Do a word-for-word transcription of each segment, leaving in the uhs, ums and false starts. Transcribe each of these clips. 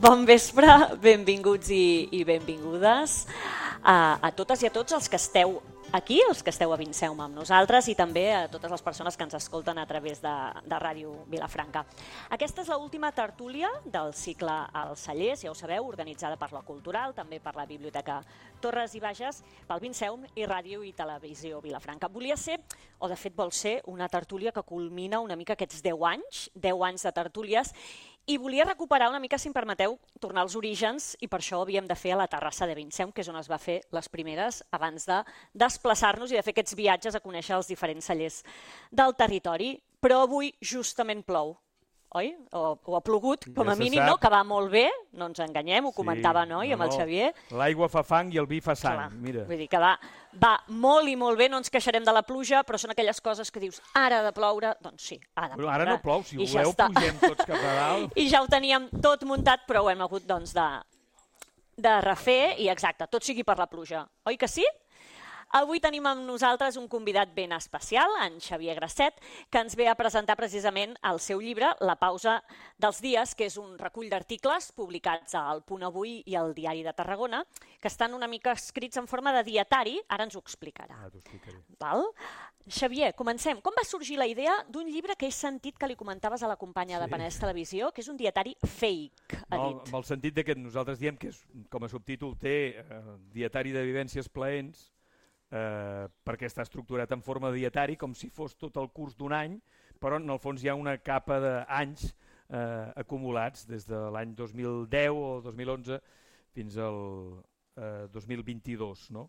Bon vespre, benvinguts i, i benvingudes a, a totes i a tots els que esteu aquí, els que esteu a Vinceum amb nosaltres i també a totes les persones que ens escolten a través de, de Ràdio Vilafranca. Aquesta és l'última tertúlia del cicle Els Cellers, ja ho sabeu, organitzada per la Cultural, també per la Biblioteca Torres i Bages, pel Vinceum i Ràdio i Televisió Vilafranca. Volia ser, o de fet vol ser, una tertúlia que culmina una mica aquests deu anys, deu anys de tertúlies, i volia recuperar una mica, si em permeteu, tornar als orígens, i per això havíem de fer a la terrassa de Vinceum, que és on es va fer les primeres, abans de desplaçar-nos i de fer aquests viatges a conèixer els diferents cellers del territori. Però avui justament plou, oi? O, o ha plogut, com a Ja se mínim, sap. no? Que va molt bé, no ens enganyem, ho Sí, comentava, no? I amb el no, Xavier. L'aigua fa fang i el vi fa sang, Clar, mira. Vull dir que va, va molt i molt bé, no ens queixarem de la pluja, però són aquelles coses que dius, ara ha de ploure, doncs sí, ha de Bueno, ploure. ara no plou, si I ja voleu està. pugem tots cap a dalt. I ja ho teníem tot muntat, però ho hem hagut doncs, de, de refer, i exacte, tot sigui per la pluja. Oi que sí? Avui tenim amb nosaltres un convidat ben especial, en Xavier Grasset, que ens ve a presentar precisament el seu llibre, La pausa dels dies, que és un recull d'articles publicats al Punt Avui i al Diari de Tarragona, que estan una mica escrits en forma de dietari, ara ens ho explicarà. Ah, t'ho explicaré. Val? Xavier, comencem. Com va sorgir la idea d'un llibre que he sentit que li comentaves a la companya de Sí. Penedès Televisió, que és un dietari fake, ha No, dit. amb el sentit de que nosaltres diem que és, com a subtítol té eh, dietari de vivències plaents, eh, perquè està estructurat en forma de dietari, com si fos tot el curs d'un any, però en el fons hi ha una capa d'anys eh, acumulats des de l'any dos mil deu o dos mil onze fins al eh, dos mil vint-i-dos, no?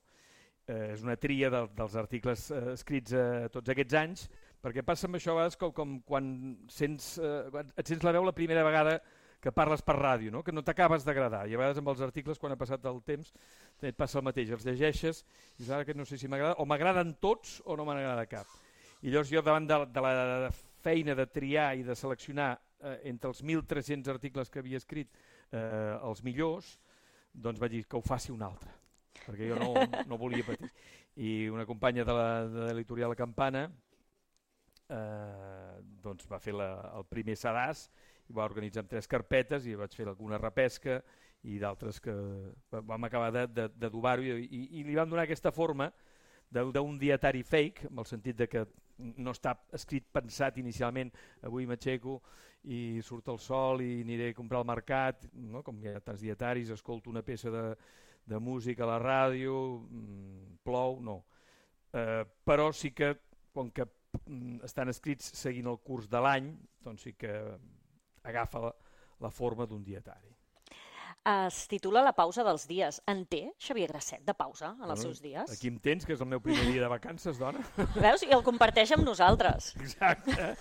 Eh, és una tria de, dels articles eh, escrits eh, tots aquests anys, perquè passa amb això a vegades com, com quan, sents, eh, quan et sents la veu la primera vegada que parles per ràdio, no? Que no t'acabes d'agradar, i a vegades amb els articles quan ha passat el temps et passa el mateix, els llegeixes i dius, ara que no sé si m'agrada, o m'agraden tots o no m'agrada cap. I llavors jo davant de, de la feina de triar i de seleccionar eh, entre els mil tres-cents articles que havia escrit eh, els millors, doncs vaig dir que ho faci un altre, perquè jo no, no volia patir. I una companya de la, de l'editorial Campana eh, doncs va fer la, el primer sedàs i va organitzar amb tres carpetes i vaig fer alguna repesca i d'altres que vam acabar de, de, de dubar-ho i, i, i li vam donar aquesta forma d'un dietari fake, en el sentit de que no està escrit pensat inicialment, avui m'aixeco i surt el sol i aniré a comprar al mercat, no? Com hi ha tants dietaris, escolto una peça de, de música a la ràdio, mmm, plou, no. Eh, però sí que, com que mm, estan escrits seguint el curs de l'any, doncs sí que agafa la, la forma d'un dietari. Es titula La pausa dels dies. En té Xavier Grasset de pausa en els Bueno, seus dies? Aquí em tens, que és el meu primer dia de vacances, dona. Veus? I el comparteix amb nosaltres. Exacte.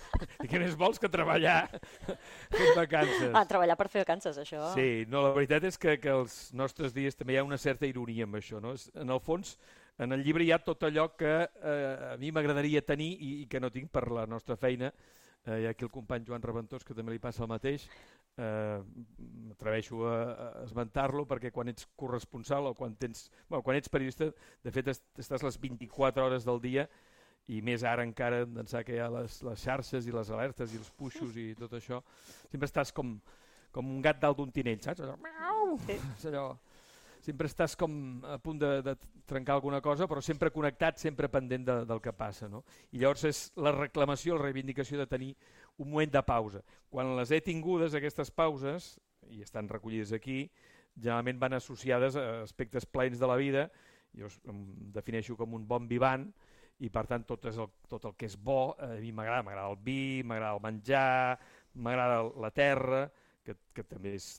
I què més vols que treballar fent vacances? Ah, treballar per fer vacances, això. Sí, no, la veritat és que, que els nostres dies també hi ha una certa ironia amb això, no? En el fons, en el llibre hi ha tot allò que eh, a mi m'agradaria tenir i, i que no tinc per la nostra feina. Eh, hi ha aquí el company Joan Reventós, que també li passa el mateix. Eh, m'atreveixo a, a esmentar-lo perquè quan ets corresponsal o quan tens, bueno, quan ets periodista, de fet est estàs les vint-i-quatre hores del dia i més ara encara d'ençà que hi ha les, les xarxes i les alertes i els puixos i tot això, sempre estàs com, com un gat dalt d'un tinell, saps? Allò, miau! És allò, sempre estàs com a punt de, de trencar alguna cosa, però sempre connectat, sempre pendent de, del que passa, no? I llavors és la reclamació, la reivindicació de tenir un moment de pausa. Quan les he tingudes, aquestes pauses, i estan recollides aquí, generalment van associades a aspectes plens de la vida, jo em defineixo com un bon vivant, i per tant tot, és el, tot el que és bo, a mi m'agrada, m'agrada el vi, m'agrada el menjar, m'agrada la terra, que, que també és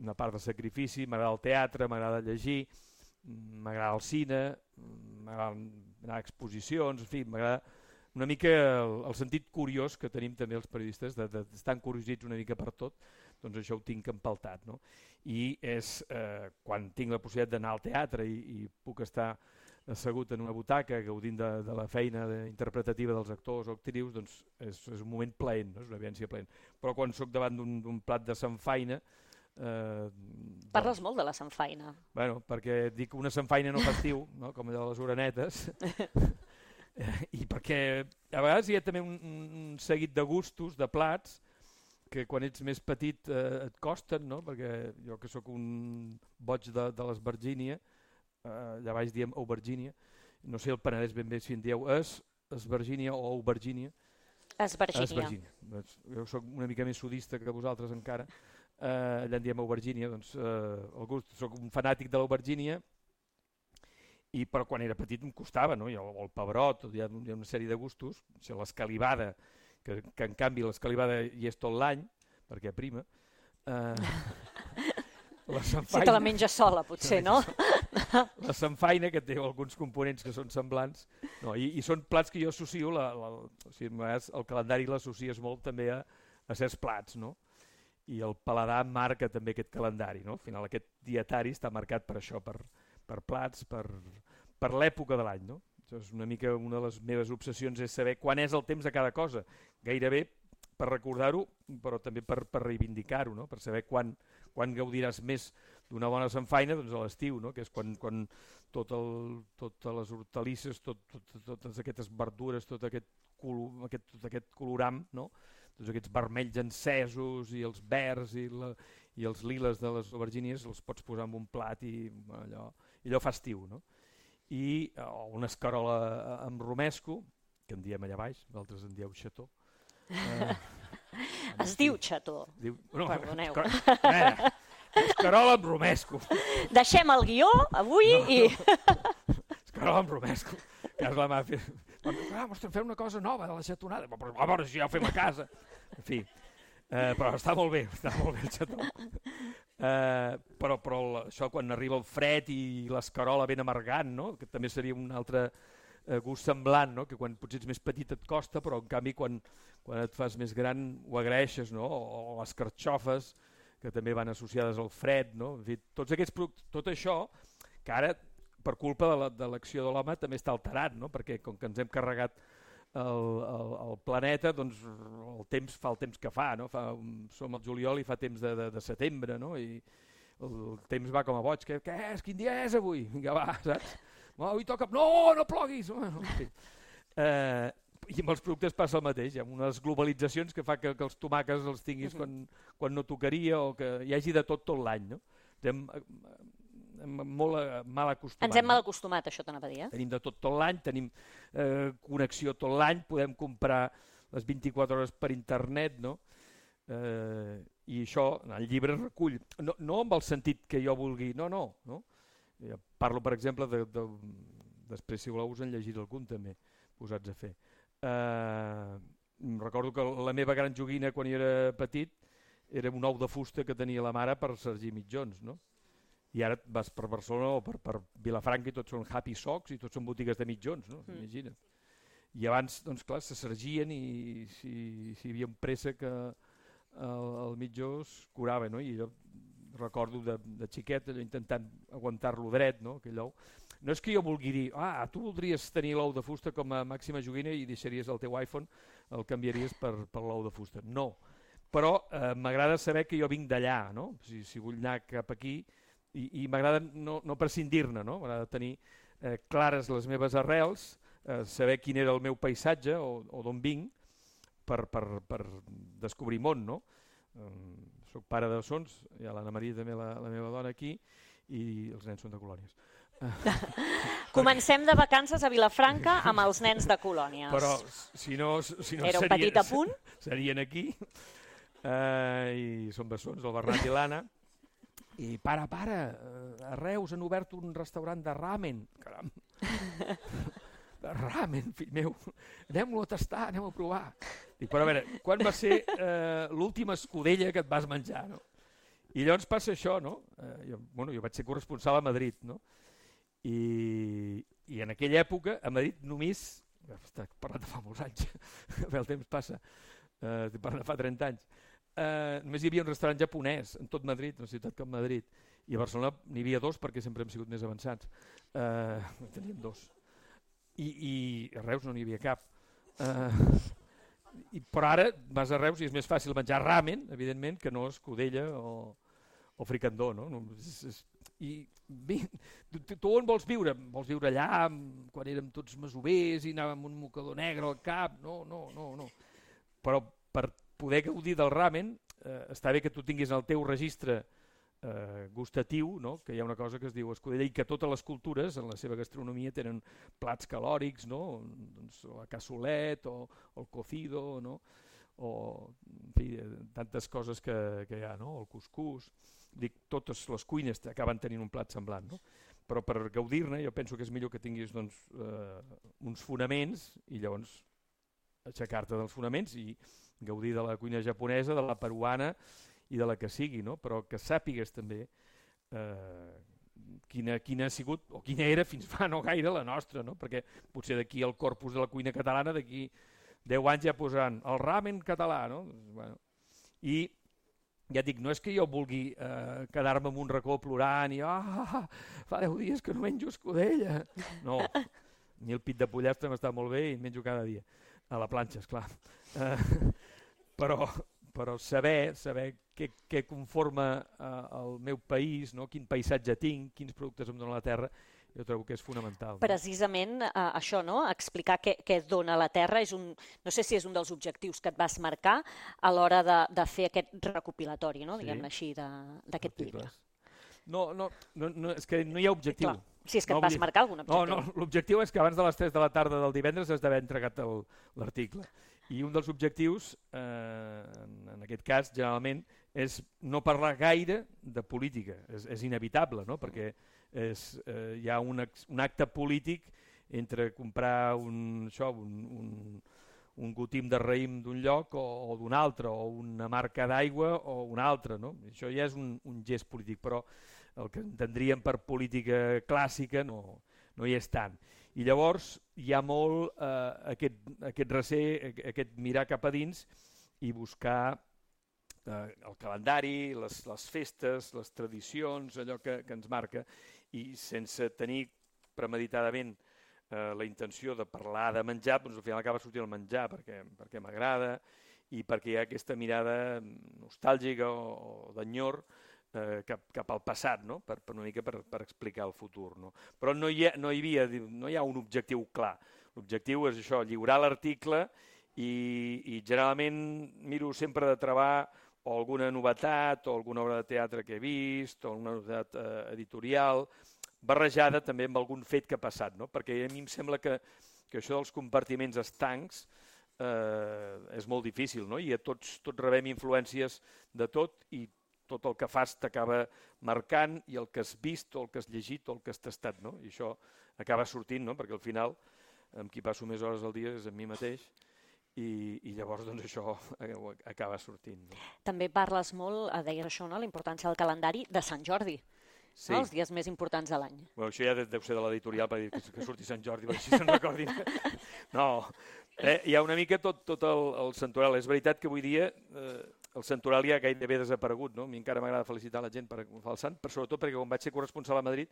una part de sacrifici, m'agrada el teatre, m'agrada llegir, m'agrada el cine, m'agrada anar a exposicions, en fi, m'agrada una mica el, el sentit curiós que tenim també els periodistes, d'estar encuriosits una mica per tot, doncs això ho tinc empaltat, no? I és eh, quan tinc la possibilitat d'anar al teatre i, i puc estar assegut en una butaca gaudint de, de la feina de, interpretativa dels actors o actrius, doncs és, és un moment plaent, no? És una vivència plaent. Però quan sóc davant d'un plat de samfaina, Eh, Parles doncs, molt de la samfaina. Bueno, perquè dic una samfaina no fa estiu, no? Com allò de les orenetes, i perquè a vegades hi ha també un, un seguit de gustos, de plats, que quan ets més petit eh, et costen, no? Perquè jo que sóc un boig de, de l'Esbergínia, eh, allà baix diem Aubergínia, no sé el Penedès ben bé si en dieu es, Esbergínia o Aubergínia. Esbergínia. Esbergínia. Jo sóc una mica més sudista que vosaltres encara, eh, allà en diem Aubergínia, doncs eh, el gust, sóc un fanàtic de l'Aubergínia, i però quan era petit em costava, no? I el, el pebrot, hi ha, hi ha una sèrie de gustos, o sigui, l'escalivada, que, que en canvi l'escalivada hi és tot l'any, perquè prima, eh, la samfaina, si te la menges sola, potser, no? La samfaina, que té alguns components que són semblants, no, i, i són plats que jo associo, la, la, o sigui, el calendari l'associes molt també a, a certs plats, no? I el paladar marca també aquest calendari, no? Al final aquest dietari està marcat per això, per, per plats, per, per l'època de l'any, no? És una mica una de les meves obsessions és saber quan és el temps de cada cosa, gairebé per recordar-ho, però també per, per reivindicar-ho, no? Per saber quan, quan gaudiràs més d'una bona samfaina, doncs a l'estiu, no? Que és quan, quan tot el, totes les hortalisses, tot, tot, totes aquestes verdures, tot aquest, colo, aquest, tot aquest coloram, no? Tots aquests vermells encesos i els verds i, la, i els liles de les aubergínies els pots posar en un plat i allò, i allò fa estiu, no? I oh, una escarola amb romesco, que en diem allà baix, vosaltres en dieu xató. Eh, es diu xató, diu, no, perdoneu. Escarola, escarola amb romesco. Deixem el guió avui no, i... No. Escarola amb romesco. Que és la màfia. Ah, m'estem fent una cosa nova de la xatonada. Però a veure si ja ho fem a casa. En fi, eh, però està molt bé, està molt bé el xató. Uh, però, però això quan arriba el fred i l'escarola ben amargant, no? Que també seria un altre uh, gust semblant, no? Que quan potser ets més petit et costa, però en canvi quan, quan et fas més gran ho agraeixes, no? O, o les carxofes, que també van associades al fred, no? En fi, tots aquests productes, tot això, que ara per culpa de l'acció de l'home també està alterat, no? Perquè com que ens hem carregat el, el, el planeta, doncs el temps fa el temps que fa, no? Fa, som al juliol i fa temps de, de, de setembre, no? I el temps va com a boig. Què, què és? Quin dia és avui? Vinga, va, saps? No, avui toca... No, no ploguis! Bueno, en fi. eh, I amb els productes passa el mateix. Hi ha unes globalitzacions que fa que, que els tomàquets els tinguis quan, quan no tocaria o que hi hagi de tot tot l'any, no? Hem, molt mal acostumat. Ens hem mal acostumat, això t'anava a dir. Eh? Tenim de tot tot l'any, tenim eh, connexió tot l'any, podem comprar les vint-i-quatre hores per internet, no? Eh, I això, el llibre recull, no, no amb el sentit que jo vulgui, no, no. no? Jo parlo, per exemple, de, de, després si voleu us en llegiré algun també, posats a fer. Eh, recordo que la meva gran joguina quan jo era petit era un ou de fusta que tenia la mare per sergir mitjons, no? I ara vas per Barcelona o per, per Vilafranca i tots són Happy Socks i tots són botigues de mitjons, no? Mm. Imagina't. I abans, doncs clar, se sergien i si, si hi havia un préssec el, el mitjó es curava, no? I jo recordo de, de xiquet allò, intentant aguantar-lo dret, no? Aquell ou. No és que jo vulgui dir, ah, tu voldries tenir l'ou de fusta com a màxima joguina i deixaries el teu iPhone, el canviaries per, per l'ou de fusta. No. Però eh, m'agrada saber que jo vinc d'allà, no? Si, si vull anar cap aquí, i, i m'agrada no, no prescindir-ne, no? M'agrada tenir eh, clares les meves arrels, eh, saber quin era el meu paisatge o, o d'on vinc per, per, per descobrir món, no? Eh, soc pare de sons, hi ha l'Anna Maria també, la, la meva dona aquí, i els nens són de colònies. Comencem de vacances a Vilafranca amb els nens de colònies. Però si no, si no era un serien, petit apunt. Serien aquí, eh, i són bessons, el Bernat i l'Anna. I pare, pare, a Reus han obert un restaurant de ramen. Caram. De ramen, fill meu. Anem-lo a tastar, anem a provar. Dic, però a veure, quan va ser eh, l'última escudella que et vas menjar, no? I llavors passa això, no? Eh, jo, bueno, jo vaig ser corresponsal a Madrid, no? I, i en aquella època, a Madrid només... Està parlant de fa molts anys, el temps passa, eh, estic parlant de fa trenta anys. Uh, només hi havia un restaurant japonès en tot Madrid, una ciutat com Madrid, i a Barcelona n'hi havia dos perquè sempre hem sigut més avançats. Uh, teníem dos. I, i a Reus no n'hi havia cap. Uh, i, però ara vas a Reus i és més fàcil menjar ramen, evidentment, que no escudella o, o fricandó, no? És, és, I bé, tu, tu on vols viure? Vols viure allà, quan érem tots masovers i anàvem amb un mocador negre al cap? No, no, no, no. Però per poder gaudir del ramen, eh, està bé que tu tinguis el teu registre eh, gustatiu, no? Que hi ha una cosa que es diu escudella i que totes les cultures en la seva gastronomia tenen plats calòrics, no? Doncs la cassolet o, o el cocido, no? O en fi, tantes coses que, que hi ha, no? El cuscús. Dic, totes les cuines acaben tenint un plat semblant, no? Però per gaudir-ne jo penso que és millor que tinguis doncs, eh, uns fonaments i llavors aixecar-te dels fonaments i gaudir de la cuina japonesa, de la peruana i de la que sigui, no? Però que sàpigues també eh, quina, quina ha sigut o quina era fins fa no gaire la nostra, no? Perquè potser d'aquí al corpus de la cuina catalana d'aquí deu anys ja posaran el ramen català, no? Bueno, i ja dic, no és que jo vulgui eh, quedar-me en un racó plorant i ah, fa deu dies que no menjo escudella. No, ni el pit de pollastre m'està molt bé i menjo cada dia. A la planxa, esclar. Eh, però, però saber, saber què, què conforma eh, el meu país, no? Quin paisatge tinc, quins productes em dona la terra, jo trobo que és fonamental. No? Precisament eh, això, no? Explicar què, què et dona la terra, és un, no sé si és un dels objectius que et vas marcar a l'hora de, de fer aquest recopilatori, no? Sí. Diguem-ne així, d'aquest llibre. No, no, no, no, és que no hi ha objectiu. Clar. Si és que no, et vas marcar algun objectiu. No, no, l'objectiu és que abans de les tres de la tarda del divendres has d'haver entregat l'article. I un dels objectius, eh, en, en aquest cas, generalment, és no parlar gaire de política. És, és inevitable, no? Perquè és, eh, hi ha un, un acte polític entre comprar un, això, un, un, un gotim de raïm d'un lloc o, o d'un altre, o una marca d'aigua o una altra. No? Això ja és un, un gest polític, però el que entendríem per política clàssica no, no hi és tant. I llavors hi ha molt eh, aquest, aquest recer, aquest mirar cap a dins i buscar eh, el calendari, les, les festes, les tradicions, allò que, que ens marca, i sense tenir premeditadament eh, la intenció de parlar de menjar, doncs al final acaba sortint el menjar perquè, perquè m'agrada i perquè hi ha aquesta mirada nostàlgica o, o d'enyor eh, cap, cap al passat, no? per, per una mica per, per explicar el futur. No? Però no hi, ha, no, hi havia, no hi ha un objectiu clar. L'objectiu és això, lliurar l'article i, i generalment miro sempre de trobar o alguna novetat, o alguna obra de teatre que he vist, o alguna novetat eh, editorial, barrejada també amb algun fet que ha passat, no? Perquè a mi em sembla que, que això dels compartiments estancs eh, és molt difícil, no? I a tots, tots rebem influències de tot i tot el que fas t'acaba marcant i el que has vist, o el que has llegit, o el que has tastat, no? I això acaba sortint, no? Perquè al final, amb qui passo més hores al dia és amb mi mateix, I, i llavors doncs, això acaba sortint. No? També parles molt, deies això, no? La importància del calendari de Sant Jordi, sí. No? Els dies més importants de l'any. Bueno, això ja deu ser de l'editorial per dir que, que surti Sant Jordi, per així se'n recordin. No, eh, hi ha una mica tot, tot el, el santoral. És veritat que avui dia eh, el santoral ja gairebé desaparegut. No? A mi encara m'agrada felicitar la gent per agafar el sant, però sobretot perquè quan vaig ser corresponsal a Madrid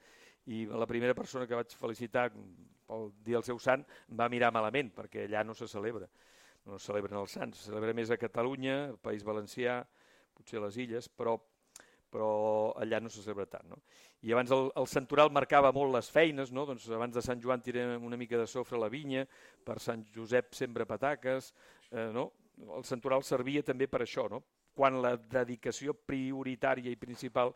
i la primera persona que vaig felicitar pel dia del seu sant em va mirar malament, perquè allà no se celebra. No es celebren els sants, se celebra més a Catalunya, al País Valencià, potser a les Illes, però, però allà no se celebra tant. No? I abans el, el santoral marcava molt les feines, no? Doncs abans de Sant Joan tirem una mica de sofre a la vinya, per Sant Josep sembra pataques, eh, no? El santoral servia també per això, no? Quan la dedicació prioritària i principal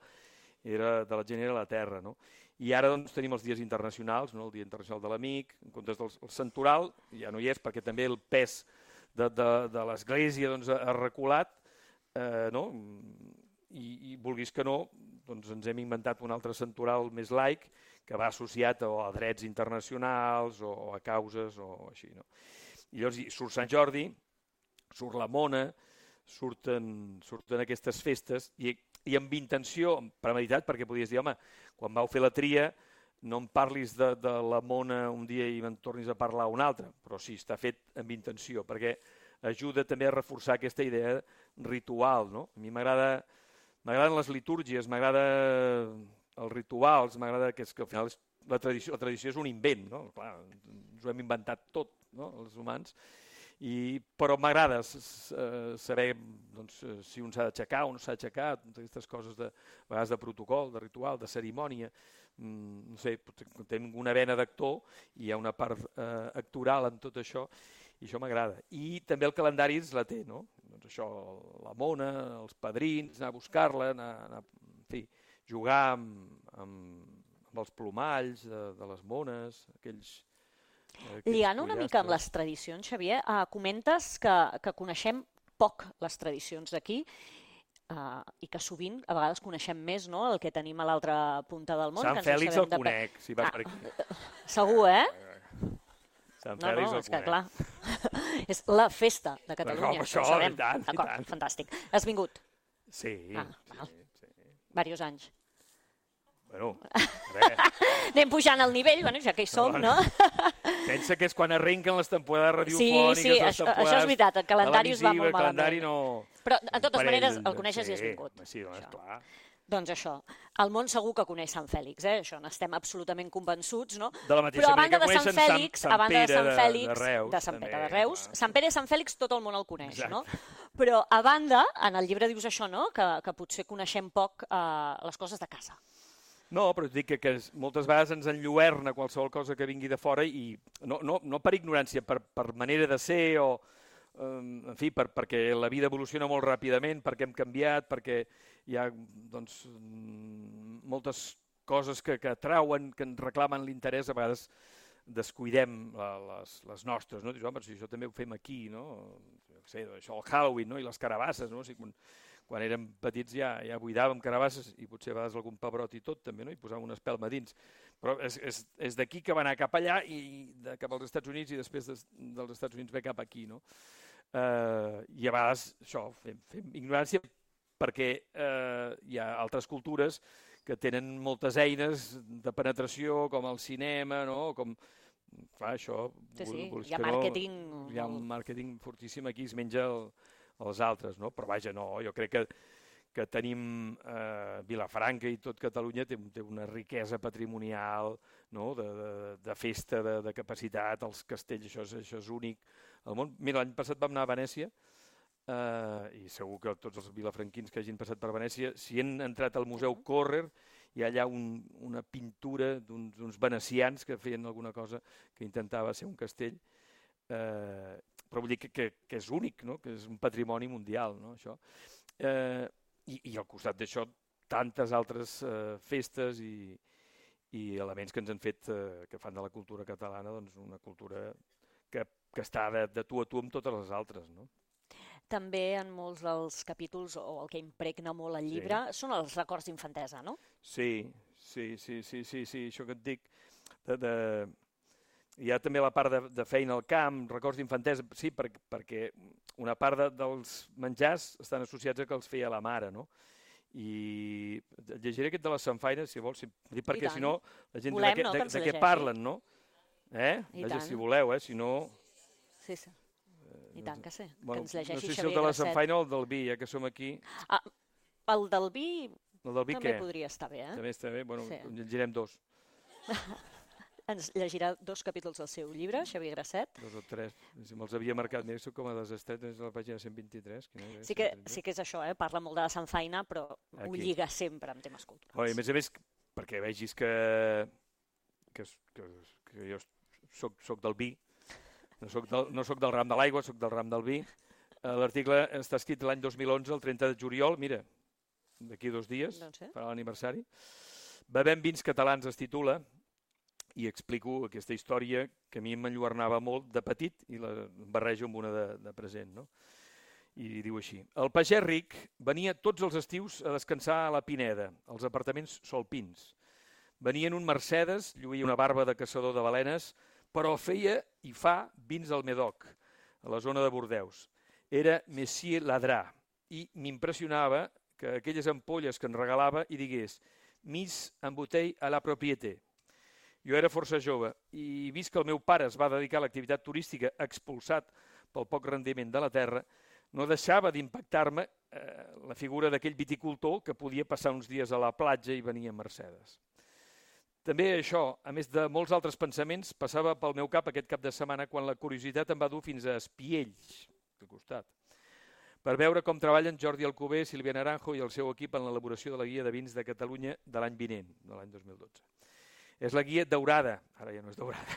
era de la gent era la terra. No? I ara doncs, tenim els dies internacionals, no? El Dia Internacional de l'Amic, en comptes del santoral, ja no hi és perquè també el pes de, de, de l'Església doncs, ha reculat, eh, no? I, i vulguis que no, doncs ens hem inventat un altre santoral més laic que va associat a, a drets internacionals o, o a causes o així. No? I llavors surt Sant Jordi, surt la Mona, surten, surten aquestes festes i, i amb intenció, premeditat, perquè podies dir, home, quan vau fer la tria no em parlis de, de la Mona un dia i me'n tornis a parlar un altre, però sí, està fet amb intenció, perquè ajuda també a reforçar aquesta idea ritual. No? A mi m'agrada, m'agraden les litúrgies, m'agrada els rituals, m'agrada que, és, que al final és, la, tradició, la tradició és un invent, no? Clar, ens ho hem inventat tot, no? Els humans, I, però m'agrada saber doncs, si un s'ha d'aixecar o no s'ha d'aixecar, aquestes coses de, a vegades de protocol, de ritual, de cerimònia, mm, no sé, tinc una vena d'actor i hi ha una part eh, actoral en tot això i això m'agrada. I també el calendari ens la té, no? doncs això, la mona, els padrins, anar a buscar-la, anar, anar, en fi, jugar amb, amb, amb els plomalls de, de les mones, aquells... Lligant una mica amb les tradicions, Xavier, eh, comentes que, que coneixem poc les tradicions d'aquí eh, i que sovint, a vegades, coneixem més, no?, el que tenim a l'altra punta del món. Sant Fèlix el conec, si vas per aquí. Segur, eh? Sant No, Fèlix no, el és que conec. clar, és la festa de Catalunya, això, ho sabem. i tant, i D'acord, tant. fantàstic. Has vingut Sí, Ah, sí, val. sí. diversos anys. Bueno, res. Anem pujant el nivell, bueno, ja que hi som, no? Pensa que és quan arrenquen les temporades Sí, radiofòniques, sí, les això, temporades això és veritat, el calendari us va televisives, molt el calendari malament. no... Però, de totes Parell maneres, de- el coneixes i has sí, vingut. Sí, doncs, Això. clar. Doncs això, el món segur que coneix Sant Fèlix, eh? Això n'estem absolutament convençuts, no? De la mateixa Però a manera banda que de Sant coneixen Sant- Fèlix, Sant a banda de Pere Sant de- Fèlix, de Reus, de Sant també, Pere de Reus, clar. Sant Pere i Sant Fèlix tot el món el coneix, Exacte. no? Però a banda, en el llibre dius això, no? Que, que potser coneixem poc eh, les coses de casa. No, però et dic que, que moltes vegades ens enlluerna qualsevol cosa que vingui de fora i no, no, no per ignorància, per, per manera de ser o, um, en fi, per, perquè la vida evoluciona molt ràpidament, perquè hem canviat, perquè hi ha doncs, mm, moltes coses que, que atrauen, que ens reclamen l'interès, a vegades descuidem la, les, les nostres, no? Dius, home, si això també ho fem aquí, no? Jo què sé, això el Halloween, no? I les carabasses, no? O sigui, quan, quan érem petits ja, ja buidàvem carabasses i potser a vegades algun pebrot i tot també, no? I posàvem una espelma dins. Però és, és, és d'aquí que va anar cap allà i de, cap als Estats Units i després des, dels Estats Units ve cap aquí, no? Uh, I a vegades això, fem, fem ignorància perquè uh, hi ha altres cultures que tenen moltes eines de penetració, com el cinema, no? Com, clar, això... Sí, sí, vols hi ha que no, màrqueting... hi ha un màrqueting fortíssim aquí, es menja el, els altres, no? Però vaja, no, jo crec que, que tenim eh, Vilafranca i tot Catalunya té, té una riquesa patrimonial, no? de, de, de festa, de, de capacitat, els castells, això és, això és únic al món. Mira, l'any passat vam anar a Venècia eh, i segur que tots els vilafranquins que hagin passat per Venècia, si han entrat al Museu Correr, hi ha allà un, una pintura d'uns venecians que feien alguna cosa que intentava ser un castell, eh, però vull dir que, que, que és únic, no? Que és un patrimoni mundial, no? Això. Eh, i, I al costat d'això, tantes altres eh, festes i, i elements que ens han fet, eh, que fan de la cultura catalana doncs, una cultura que, que està de, de tu a tu amb totes les altres, no? També en molts dels capítols, o el que impregna molt el llibre, sí. són els records d'infantesa, no? Sí, sí, sí, sí, sí, sí, això que et dic, de... de... Hi ha també la part de, de feina al camp, records d'infantesa, sí, per, perquè una part de, dels menjars estan associats a que els feia la mare, no? I llegiré aquest de les samfaines, si vols, perquè si no, la gent Volem, de, no, de, que ens de què llegeixi. parlen, no? Eh? I Vaja, tant. si voleu, eh? Si no... Sí, sí. I tant que sí, que Bueno, ens llegeixi no sé si Xavier el de la Grasset. samfaina o el del vi, ja que som aquí. Ah, el del vi, El del vi també què? podria estar bé, eh? També està bé, bueno, Sí. llegirem dos. Ens llegirà dos capítols del seu llibre, Xavier Grasset. Dos o tres. Si me'ls havia marcat, mira, soc com a desestret, és a la pàgina cent vint-i-tres. Quina és? Sí que, sí que és això, eh? Parla molt de la sanfaina, però Aquí. ho lliga sempre amb temes culturals. Oh, I a més a més, perquè vegis que, que, que, que jo soc, soc del vi, no soc del, no soc del ram de l'aigua, soc del ram del vi. Eh, L'article està escrit l'any dos mil onze, el trenta de juliol, mira, d'aquí dos dies, Doncs sí. farà l'aniversari. Bevem vins catalans es titula, i explico aquesta història que a mi m'enlluernava molt de petit i la barrejo amb una de, de present, no? I diu així: el pagès ric venia tots els estius a descansar a la Pineda, als apartaments Solpins. Venia en un Mercedes, lluïa una barba de caçador de balenes, però feia i fa vins al Medoc, a la zona de Bordeus. Era Messier Ladrà i m'impressionava que aquelles ampolles que en regalava hi digués «Mis en botell a la propriété». Jo era força jove i vist que el meu pare es va dedicar a l'activitat turística expulsat pel poc rendiment de la terra, no deixava d'impactar-me eh, la figura d'aquell viticultor que podia passar uns dies a la platja i venia a Mercedes. També això, a més de molts altres pensaments, passava pel meu cap aquest cap de setmana quan la curiositat em va dur fins a Espiells, al costat, per veure com treballen Jordi Alcover, Sílvia Naranjo i el seu equip en l'elaboració de la guia de vins de Catalunya de l'any vinent, de l'any dos mil dotze. És la guia daurada, ara ja no és daurada,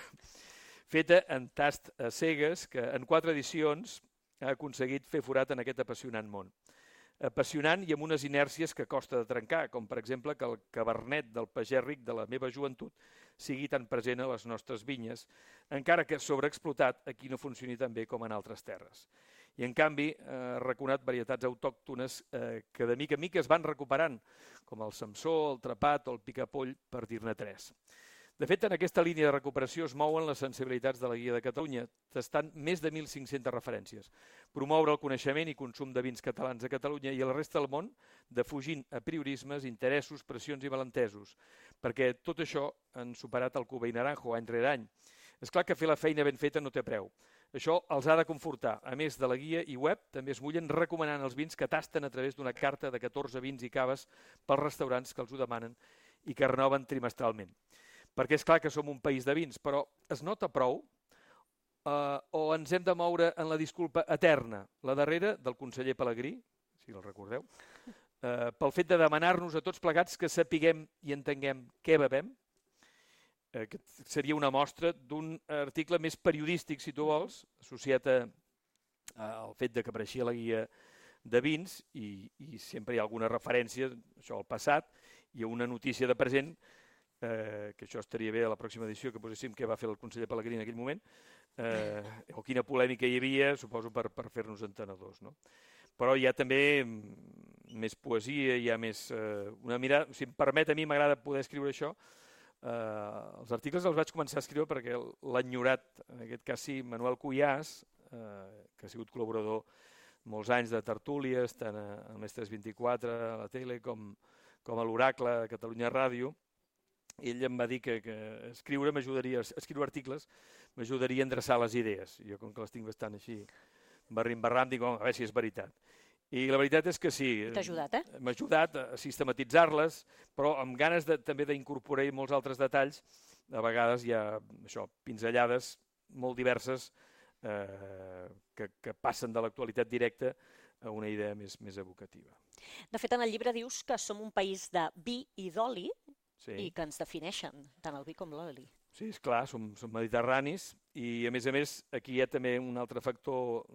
feta en tast a cegues, que en quatre edicions ha aconseguit fer forat en aquest apassionant món. Apassionant i amb unes inèrcies que costa de trencar, com per exemple que el cabernet del pagès ric de la meva joventut sigui tan present a les nostres vinyes, encara que sobreexplotat aquí no funcioni tan bé com en altres terres. I en canvi ha reconat varietats autòctones eh, que de mica en mica es van recuperant, com el Samsó, el Trepat o el Picapoll, per dir-ne tres. De fet, en aquesta línia de recuperació es mouen les sensibilitats de la Guia de Catalunya, tastant més de mil cinc-centes referències. Promoure el coneixement i consum de vins catalans a Catalunya i a la resta del món, defugint apriorismes, interessos, pressions i malentesos, perquè tot això han superat el Cuba i Naranjo any rere any. És clar que fer la feina ben feta no té preu. Això els ha de confortar. A més de la guia i web, també es mullen recomanant els vins que tasten a través d'una carta de catorze vins i caves pels restaurants que els ho demanen i que renoven trimestralment. Perquè és clar que som un país de vins, però es nota prou eh, o ens hem de moure en la disculpa eterna, la darrera del conseller Pelegrí, si el recordeu, eh, pel fet de demanar-nos a tots plegats que sapiguem i entenguem què bevem, eh, que seria una mostra d'un article més periodístic, si tu vols, associat a, a, al fet de que apareixia la guia de vins i, i sempre hi ha alguna referència això al passat i a una notícia de present, Eh, que això estaria bé a la pròxima edició que poséssim què va fer el conseller Pelegrí en aquell moment eh, o quina polèmica hi havia, suposo per, per fer-nos entenedors, no? Però hi ha també més poesia, hi ha més eh, una mirada, si em permet, a mi m'agrada poder escriure això. Eh, els articles els vaig començar a escriure perquè l'ha enyorat, en aquest cas sí, Manuel Cuyàs, eh, que ha sigut col·laborador molts anys de tertúlies, tant a Mestres vint-i-quatre, a la tele, com, com a l'Oracle, a Catalunya Ràdio. Ell em va dir que, que escriure m'ajudaria, escriure articles m'ajudaria a endreçar les idees. Jo, com que les tinc bastant així, barrim-barram, dic, oh, a veure si és veritat. I la veritat és que sí. T'ha ajudat, eh? M'ha ajudat a sistematitzar-les, però amb ganes de, també d'incorporar molts altres detalls. A vegades hi ha això, pinzellades molt diverses eh, que, que passen de l'actualitat directa a una idea més, més evocativa. De fet, en el llibre dius que som un país de vi i d'oli, sí, i que ens defineixen, tant el vi com l'oli. Sí, és clar, som, som mediterranis i, a més a més, aquí hi ha també un altre factor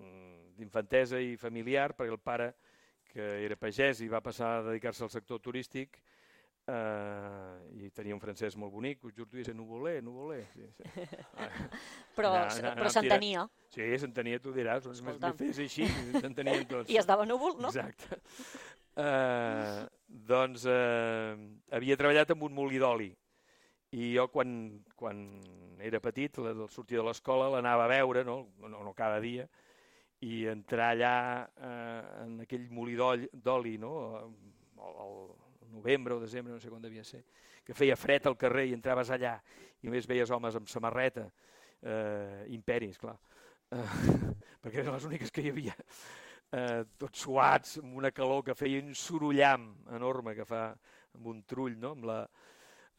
d'infantesa i familiar, perquè el pare, que era pagès i va passar a dedicar-se al sector turístic, eh, i tenia un francès molt bonic, us juro, diu, Nuvolé, Nuvolé. Sí, sí. Però, però s'entenia. Sí, s'entenia, tu diràs, més me fes així, s'entenien tots. I es dava núvol, no? Exacte. Uh, doncs uh, havia treballat amb un molí d'oli i jo quan, quan era petit, al sortir de l'escola, l'anava a veure, no? No, no cada dia, i entrar allà uh, en aquell molí d'oli, no? Al novembre o desembre, no sé quan devia ser, que feia fred al carrer i entraves allà i només veies homes amb samarreta, uh, imperis, clar, uh, perquè eren les úniques que hi havia. Eh, tots suats, amb una calor que feia un sorollam enorme que fa amb un trull, no? amb, la,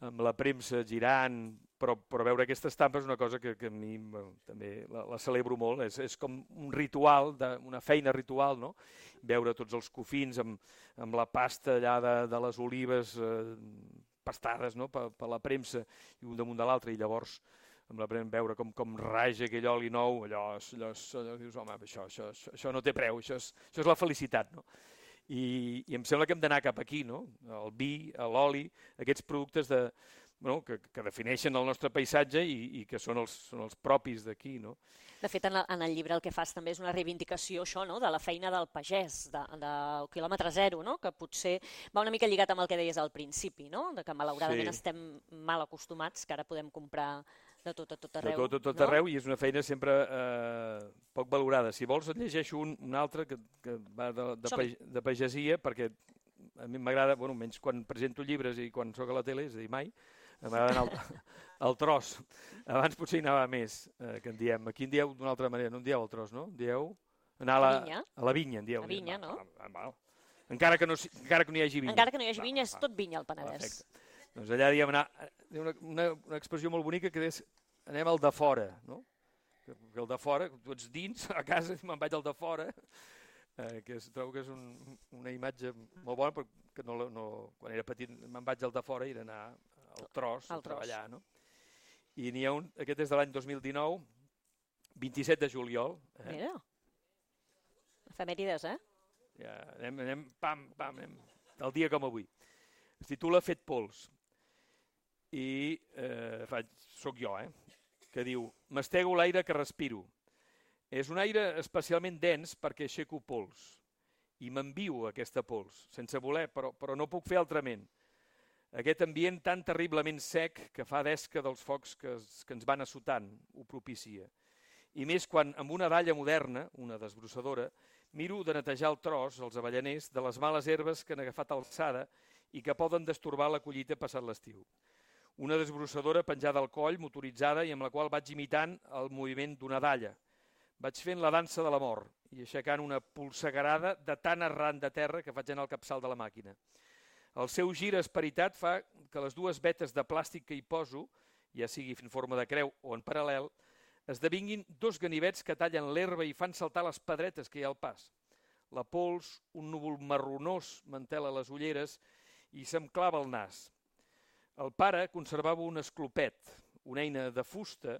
amb la premsa girant, però, però veure aquesta estampa és una cosa que, que a mi bueno, també la, la celebro molt, és, és com un ritual, de, una feina ritual, no? Veure tots els cofins amb, amb la pasta allà de, de les olives eh, pastades, no? per, per la premsa i un damunt de l'altre, i llavors amb la prem veure com, com raja aquell oli nou, allò, allò, allò dius, home, això, això, això, això no té preu, això és, això és la felicitat, no? I, i em sembla que hem d'anar cap aquí, no? El vi, l'oli, aquests productes de, bueno, que, que defineixen el nostre paisatge i, i que són els, són els propis d'aquí, no? De fet, en, la, en el llibre el que fas també és una reivindicació això, no? De la feina del pagès, de, del quilòmetre zero, no? Que potser va una mica lligat amb el que deies al principi, no? De que malauradament sí, estem mal acostumats, que ara podem comprar de tot a tot arreu. De tot a tot no? arreu, i és una feina sempre eh, poc valorada. Si vols et llegeixo un, un altre que, que va de, de, page, de pagesia, perquè a mi m'agrada, bueno, menys quan presento llibres i quan soc a la tele, és a dir, mai, m'agrada anar al, al tros. Abans potser hi anava més, eh, que en diem. Aquí en dieu d'una altra manera, no en dieu al tros, no? En dieu anar a la, a la vinya, en dieu. A vinya, no? Va, va, va. Encara que no, encara que no hi hagi vinya. Encara que no hi hagi vinya, és tot vinya al Penedès. Perfecte. Doncs allà diem anar, una, una, una expressió molt bonica que és anem al de fora, no? Que el de fora, tu ets dins, a casa me'n vaig al de fora, eh, que es, trobo que és un, una imatge molt bona, perquè no, no, quan era petit me'n vaig al de fora i era anar al tros, al a treballar, no? I n'hi ha un, aquest és de l'any dos mil dinou, vint-i-set de juliol. Eh? Mira. Efemèrides, eh? Ja, anem, anem, pam, pam, anem, el dia com avui. Es titula Fet pols. I eh, faig, soc jo, eh? Que diu, mastego l'aire que respiro. És un aire especialment dens perquè aixeco pols. I m'envio aquesta pols, sense voler, però, però no puc fer altrament. Aquest ambient tan terriblement sec que fa d'esca dels focs que, es, que ens van assotant ho propicia. I més quan, amb una dalla moderna, una desbrossadora, miro de netejar el tros, els avellaners, de les males herbes que han agafat alçada i que poden destorbar la collita passat l'estiu. Una desbrossadora penjada al coll, motoritzada, i amb la qual vaig imitant el moviment d'una dalla. Vaig fent la dansa de la mort i aixecant una polsegarada de tan arran de terra que faig anar al capçal de la màquina. El seu gir esperitat fa que les dues vetes de plàstic que hi poso, ja sigui en forma de creu o en paral·lel, esdevinguin dos ganivets que tallen l'herba i fan saltar les pedretes que hi ha al pas. La pols, un núvol marronós, m'entela les ulleres i se'm clava al nas. El pare conservava un esclopet, una eina de fusta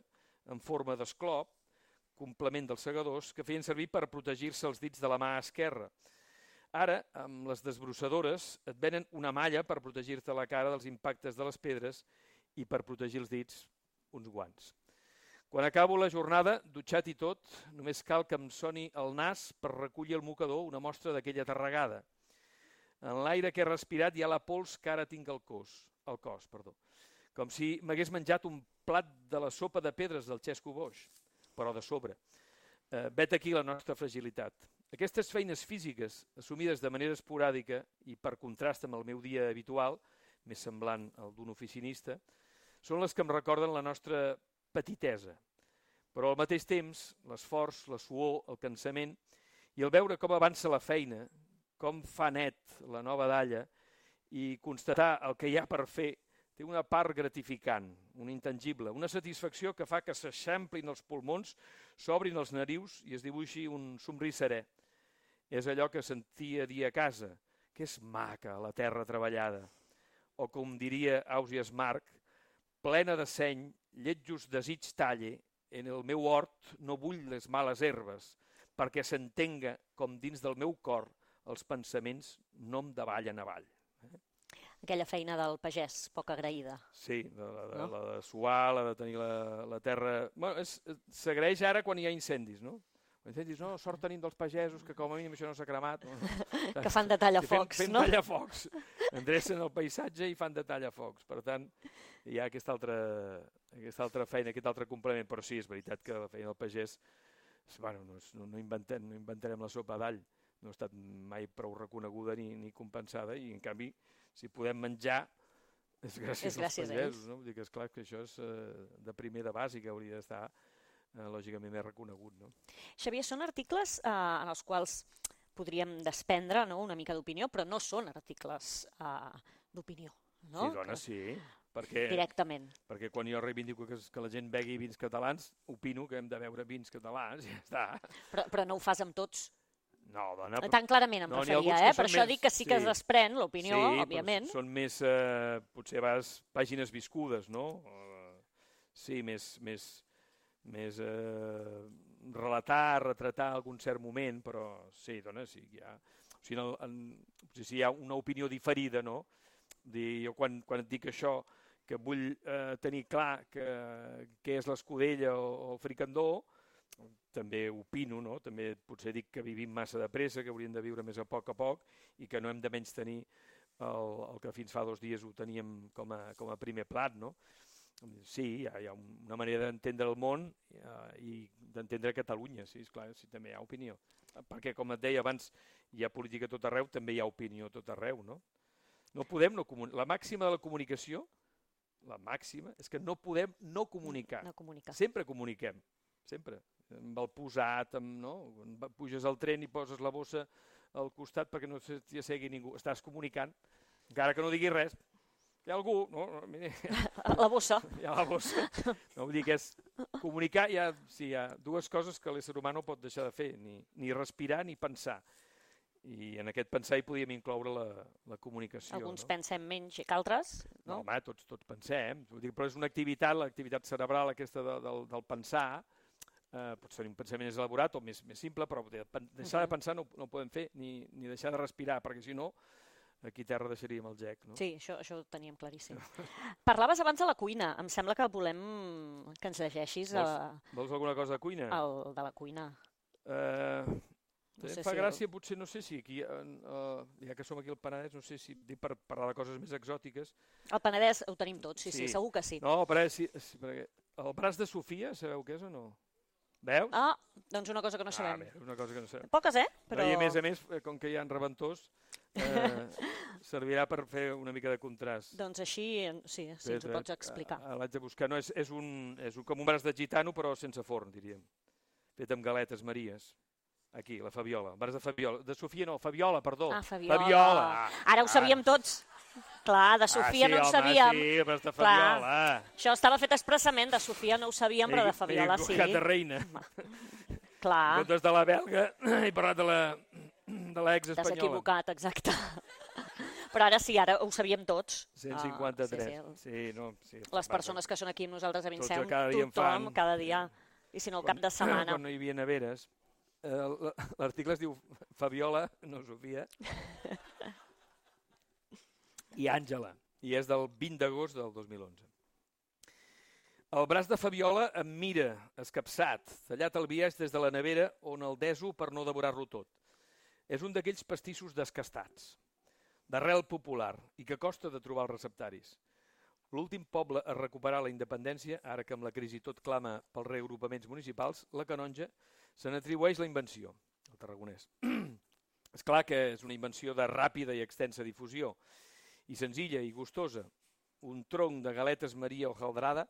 en forma d'esclop, complement dels segadors, que feien servir per protegir-se els dits de la mà esquerra. Ara, amb les desbrossadores, et venen una malla per protegir-te la cara dels impactes de les pedres i per protegir els dits, uns guants. Quan acabo la jornada, dutxat i tot, només cal que em soni el nas per recollir el mocador una mostra d'aquella tarregada. En l'aire que he respirat hi ha la pols que ara tinc al cos, al cos, perdó. Com si m'hagués menjat un plat de la sopa de pedres del Xesco Boix, però de sobre. Eh, vet aquí la nostra fragilitat. Aquestes feines físiques, assumides de manera esporàdica i per contrast amb el meu dia habitual, més semblant al d'un oficinista, són les que em recorden la nostra petitesa. Però al mateix temps, l'esforç, la suor, el cansament i el veure com avança la feina, com fa net la nova dalla i constatar el que hi ha per fer, té una part gratificant, un intangible, una satisfacció que fa que s'eixamplin els pulmons, s'obrin els narius i es dibuixi un somrís serè. És allò que sentia dir a casa, que és maca la terra treballada. O com diria Ausias Marc, plena de seny, lletjos desig talle, en el meu hort no vull les males herbes, perquè s'entenga com dins del meu cor els pensaments no em davallen avall. Aquella feina del pagès, poc agraïda. Sí, de, la, de, no? la de suar, la de tenir la, la terra... Bueno, s'agraeix ara quan hi ha incendis, no? Quan incendis, no, sort tenim dels pagesos, que com a mínim això no s'ha cremat. No? Que fan de tallafocs, fem, fem no? Fem tallafocs, endrecen el paisatge i fan de tallafocs. Per tant, hi ha aquesta altra, aquesta altra feina, aquest altre complement. Però sí, és veritat que la feina del pagès... Bueno, no, no, no, inventem, no inventarem la sopa d'all. No ha estat mai prou reconeguda ni, ni compensada i, en canvi, si podem menjar, és gràcies, és gràcies als pagesos. No? Vull dir que, esclar, que això és eh, de primer de bàsic, hauria d'estar eh, lògicament més reconegut. No? Xavier, són articles eh, en els quals podríem desprendre, no?, una mica d'opinió, però no són articles eh, d'opinió. No? Sí, dona, sí. Perquè, directament. Perquè quan jo reivindico que, que la gent begui vins catalans, opino que hem de beure vins catalans i ja està. Però, però no ho fas amb tots. No, dona... Tan clarament em no, referia, eh? Per això més, dic que sí, sí que es desprèn l'opinió, sí, òbviament. Són més, eh, potser a vegades, pàgines viscudes, no? Uh, sí, més, més, més eh, relatar, retratar algun cert moment, però sí, dona, sí, hi ha... O sigui, en, en, si hi ha una opinió diferida, no? Dir, jo quan, quan et dic això, que vull eh, tenir clar que, que és l'escudella o, o el fricandó, també opino, no? També potser dic que vivim massa de pressa, que hauríem de viure més a poc a poc i que no hem de menys tenir el, el que fins fa dos dies ho teníem com a, com a primer plat, no? Sí, hi ha, hi ha una manera d'entendre el món uh, i d'entendre Catalunya, sí, esclar, sí, també hi ha opinió. Perquè, com et deia abans, hi ha política a tot arreu, també hi ha opinió a tot arreu, no? No podem no comunicar. La màxima de la comunicació, la màxima, és que no podem no comunicar. No comunicar. Sempre comuniquem, sempre. Amb el posat, amb, no? Puges al tren i poses la bossa al costat perquè no t'hi assegui ningú. Estàs comunicant, encara que no diguis res. Hi ha algú, no? La bossa. Hi ha la bossa. No, vull dir que és comunicar, hi ha, sí, hi ha dues coses que l'ésser humà no pot deixar de fer, ni, ni respirar ni pensar. I en aquest pensar hi podíem incloure la, la comunicació. Alguns no? pensem menys que altres, no? No, home, tots, tots pensem. Vull dir, però és una activitat, l'activitat cerebral aquesta de, del, del pensar, eh, pot ser un pensament més elaborat o més, més simple, però de, deixar de pensar no, no ho podem fer, ni, ni deixar de respirar, perquè si no, aquí a terra deixaríem el gec. No? Sí, això, això ho teníem claríssim. Parlaves abans de la cuina, em sembla que volem que ens llegeixis... Vols, a... vols alguna cosa de cuina? El de la cuina. Eh... No sé em fa si gràcia, el... potser, no sé si aquí, uh, ja que som aquí al Penedès, no sé si dic per parlar de coses més exòtiques. El Penedès ho tenim tots, sí, sí, sí, segur que sí. No, però sí, sí, perquè el braç de Sofia, sabeu què és o no? Veus? Ah, doncs una cosa que no sabem. Ah, bé, una cosa que no sabem. Poques, eh? Però... I a més a més, com que hi ha reventós, eh, servirà per fer una mica de contrast. Doncs així, sí, sí, ens ho pots explicar. Ah, l'haig de buscar. No, és, és, un, és un, com un braç de gitano, però sense forn, diríem. Fet amb galetes maries. Aquí, la Fabiola, el braç de Fabiola. De Sofia no, Fabiola, perdó. Ah, Fabiola. Fabiola. Ara ho sabíem ah. tots. Clar, de Sofia ah, sí, no ho home, sabíem. Sí, el braç de Fabiola. Clar. Això estava fet expressament, de Sofia no ho sabíem, però de Fabiola sí. He de reina. Clar. En comptes de la belga, he parlat de la de l'ex espanyola. T'has equivocat, exacte. Però ara sí, ara ho sabíem tots. cent cinquanta-tres. Ah, sí, sí. Sí, no, sí, les persones que són aquí amb nosaltres a Vinceum, cada tothom, cada dia. I si no, el cap de setmana. Quan no hi havia neveres, l'article es diu Fabiola, no Sofia, i Àngela, i és del vint d'agost del dos mil onze. El braç de Fabiola em mira, escapçat, tallat al biaix des de la nevera on el deso per no devorar-lo tot. És un d'aquells pastissos descastats, d'arrel popular, i que costa de trobar els receptaris. L'últim poble a recuperar la independència, ara que amb la crisi tot clama pels reagrupaments municipals, la Canonja, se n'atribueix la invenció, el tarragonès. És clar que és una invenció de ràpida i extensa difusió, i senzilla i gustosa. Un tronc de galetes Maria hojaldrada,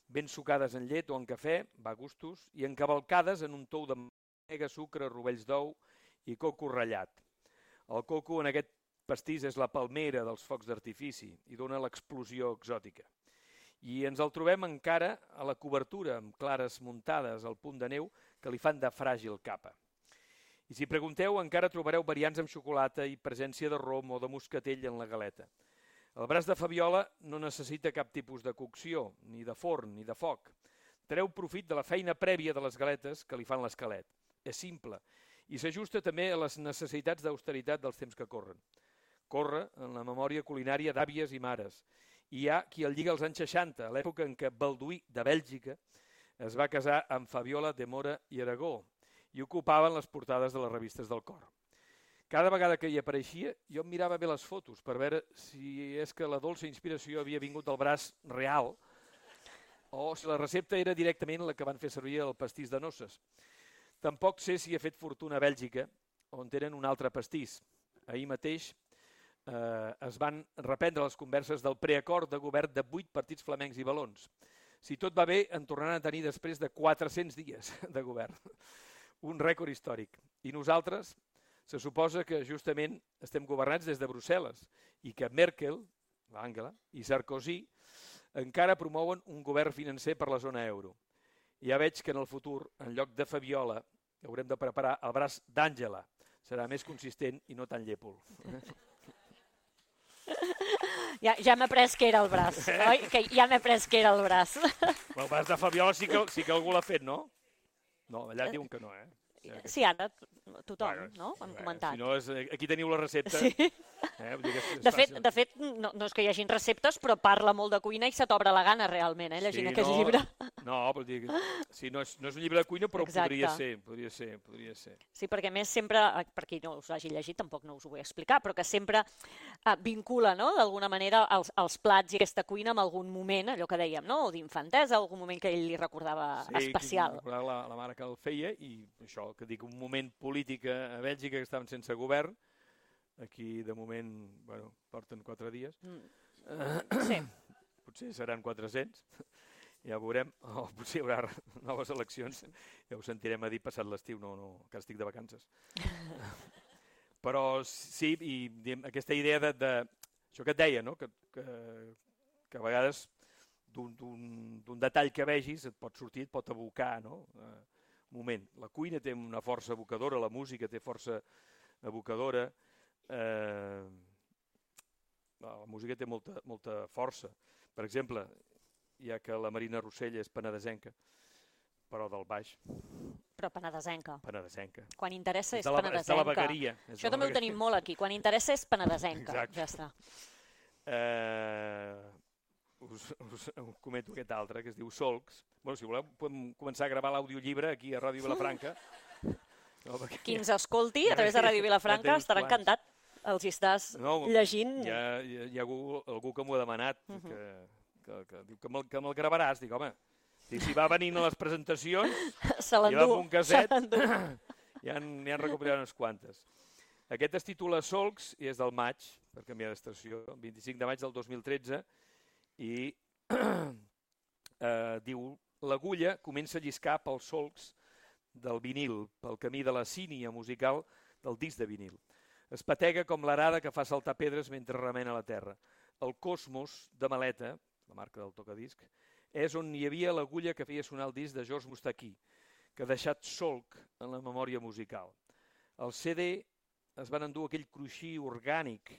ben sucades en llet o en cafè, va a gustos, i encavalcades en un tou de mega, sucre, rovells d'ou i coco ratllat. El coco en aquest pastís és la palmera dels focs d'artifici i dona l'explosió exòtica. I ens el trobem encara a la cobertura, amb clares muntades al punt de neu que li fan de fràgil capa. I si pregunteu, encara trobareu variants amb xocolata i presència de rom o de moscatell en la galeta. El braç de Fabiola no necessita cap tipus de cocció, ni de forn, ni de foc. Treu profit de la feina prèvia de les galetes que li fan l'esquelet. És simple i s'ajusta també a les necessitats d'austeritat dels temps que corren. Corre en la memòria culinària d'àvies i mares. I hi ha qui el lliga als anys seixanta, a l'època en què Balduí, de Bèlgica, es va casar amb Fabiola de Mora i Aragó i ocupaven les portades de les revistes del cor. Cada vegada que hi apareixia, jo em mirava bé les fotos per veure si és que la dolça inspiració havia vingut del braç real o si la recepta era directament la que van fer servir el pastís de noces. Tampoc sé si he fet fortuna a Bèlgica, on tenen un altre pastís. Ahir mateix eh, es van reprendre les converses del preacord de govern de vuit partits flamencs i valons. Si tot va bé, en tornaran a tenir després de quatre-cents dies de govern. Un rècord històric. I nosaltres, se suposa que justament estem governats des de Brussel·les i que Merkel, l'Àngela, i Sarkozy encara promouen un govern financer per la zona euro. Ja veig que en el futur, en lloc de Fabiola, haurem de preparar el braç d'Àngela. Serà més consistent i no tan llépol. Ja, ja m'he pres que era el braç, oi? Que ja m'he pres que era el braç. El braç de Fabiola sí que, sí que algú l'ha fet, no? No, allà diuen que no, eh? Sí, ara tothom, bueno, no? Hem bueno, comentat. Si no, és, aquí teniu la recepta. Sí. Eh? Vull dir que és, és de fet, de fet no, no és que hi hagin receptes, però parla molt de cuina i se t'obre la gana realment, eh, llegint sí, aquest no, llibre. No, vol dir que, sí, no, és, no és un llibre de cuina, però Exacte. podria ser, podria ser, podria ser. Sí, perquè més sempre, per qui no us hagi llegit, tampoc no us ho vull explicar, però que sempre eh, vincula, no?, d'alguna manera els, els plats i aquesta cuina amb algun moment, allò que dèiem, no?, o d'infantesa, algun moment que ell li recordava sí, especial. Sí, la, la mare que el feia i això, que dic, un moment polític a Bèlgica que estaven sense govern. Aquí, de moment, bueno, porten quatre dies. Mm. Uh, sí. Potser seran quatre-cents, ja ho veurem. O potser hi haurà noves eleccions, ja ho sentirem a dir passat l'estiu, no, no, que estic de vacances. Però sí, i diguem, aquesta idea de, de... Això que et deia, no?, que, que, que a vegades d'un detall que vegis et pot sortir, et pot evocar, no?, uh, moment. La cuina té una força evocadora, la música té força evocadora, eh, la música té molta, molta força. Per exemple, ja que la Marina Rossell és penedesenca, però del baix. Però penedesenca. Penedesenca. Quan interessa és, és de la, penedesenca. És de la vegueria. Això també ho tenim molt aquí. Quan interessa és penedesenca. Exacte. Ja està. Eh, us, us, us comento aquest altre, que es diu Solcs. Bueno, si voleu, podem començar a gravar l'audiollibre aquí a Ràdio Vilafranca. No, perquè... Qui ens escolti a través de Ràdio Vilafranca ja estarà encantat. Els hi estàs no, llegint. Hi ha, hi ha, hi ha algú, algú que m'ho ha demanat, uh -huh. que, que, que diu que me'l me gravaràs. Dic, home, si va venint a les presentacions, se l'endú, un caset, ja han, ja han recuperat unes quantes. Aquest es titula Solcs i és del maig, per canviar d'estació, vint-i-cinc de maig del dos mil tretze, i eh, diu: l'agulla comença a lliscar pels solcs del vinil, pel camí de la sínia musical del disc de vinil. Es patega com l'arada que fa saltar pedres mentre remena la terra. El Cosmos, de Maleta, la marca del tocadisc, és on hi havia l'agulla que feia sonar el disc de George Moustaki, que ha deixat solc en la memòria musical. El C D es van endur aquell cruixir orgànic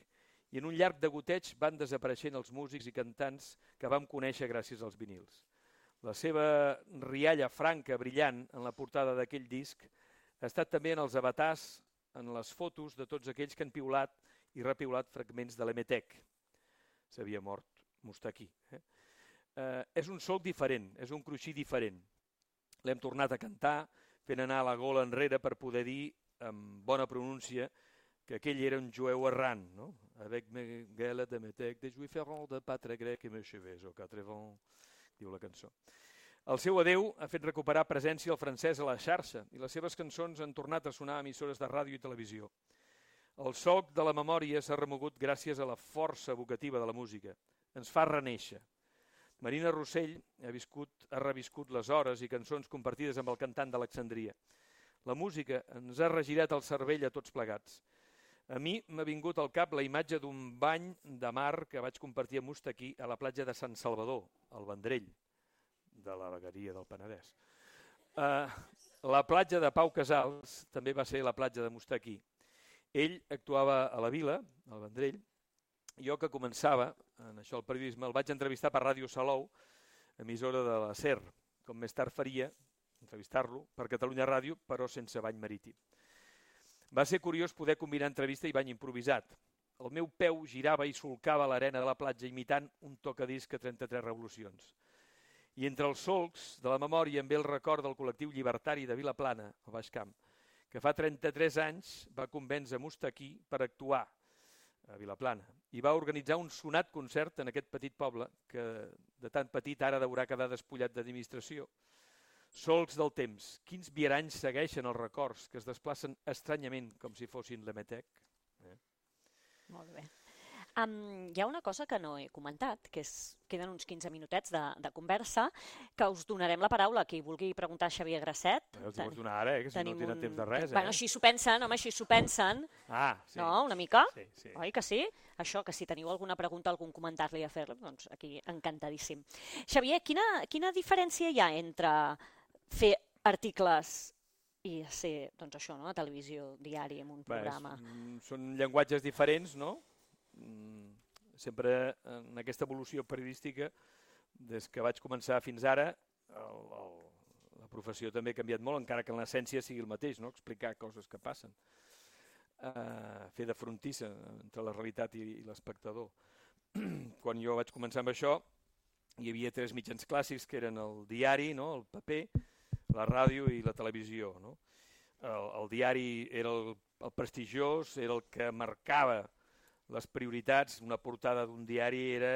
i en un llarg de goteig van desapareixent els músics i cantants que vam conèixer gràcies als vinils. La seva rialla franca, brillant, en la portada d'aquell disc, ha estat també en els avatars, en les fotos de tots aquells que han piulat i repiulat fragments de l'Emetec. S'havia mort Moustaki. Eh? Eh, és un solc diferent, és un cruixir diferent. L'hem tornat a cantar, fent anar la gola enrere per poder dir, amb bona pronúncia, que aquell era un jueu errant, no? Avec mes gueules d'Emetec, des juifs errants de patre grec et mes cheveux au quatre vents, diu la cançó. El seu adeu ha fet recuperar presència al francès a la xarxa i les seves cançons han tornat a sonar a emissores de ràdio i televisió. El solc de la memòria s'ha remogut gràcies a la força evocativa de la música. Ens fa renéixer. Marina Rossell ha, viscut, ha reviscut les hores i cançons compartides amb el cantant d'Alexandria. La música ens ha regirat el cervell a tots plegats. A mi m'ha vingut al cap la imatge d'un bany de mar que vaig compartir amb Moustaki a la platja de Sant Salvador, al Vendrell, de la vegueria del Penedès. Uh, la platja de Pau Casals també va ser la platja de Moustaki. Ell actuava a la Vila, al Vendrell. Jo, que començava en això el periodisme, el vaig entrevistar per Ràdio Salou, emissora de la SER, com més tard faria, entrevistar-lo, per Catalunya Ràdio, però sense bany marítim. Va ser curiós poder combinar entrevista i bany improvisat. El meu peu girava i solcava l'arena de la platja imitant un tocadisc a trenta-tres revolucions. I entre els solcs de la memòria em ve el record del col·lectiu llibertari de Vilaplana, al Baix Camp, que fa trenta-tres anys va convèncer Moustaki per actuar a Vilaplana i va organitzar un sonat concert en aquest petit poble que de tan petit ara deurà quedar despullat d'administració. Solcs del temps, quins viaranys segueixen els records que es desplacen estranyament com si fossin l'Emetec. Eh? Molt bé. Um, hi ha una cosa que no he comentat, que és, queden uns quinze minutets de, de conversa, que us donarem la paraula a qui vulgui preguntar a Xavier Grasset. Els Ten, vols donar ara, eh, que si no tenen un... temps de res. Eh? Bueno, així s'ho pensen, home, així s'ho pensen. Ah, sí. No, una mica? Sí, sí. Oi que sí? Això, que si teniu alguna pregunta, algun comentari a fer, doncs aquí encantadíssim. Xavier, quina, quina diferència hi ha entre fer articles i ser, doncs això, no?, a televisió, diari, en un programa? Bé, són llenguatges diferents, no? Sempre en aquesta evolució periodística, des que vaig començar fins ara, el, el, la professió també ha canviat molt, encara que en l'essència sigui el mateix, no? Explicar coses que passen. Uh, fer de frontissa entre la realitat i, i l'espectador. Quan jo vaig començar amb això, hi havia tres mitjans clàssics, que eren el diari, no?, el paper, la ràdio i la televisió. No? El, el diari era el, el prestigiós, era el que marcava les prioritats. Una portada d'un diari era,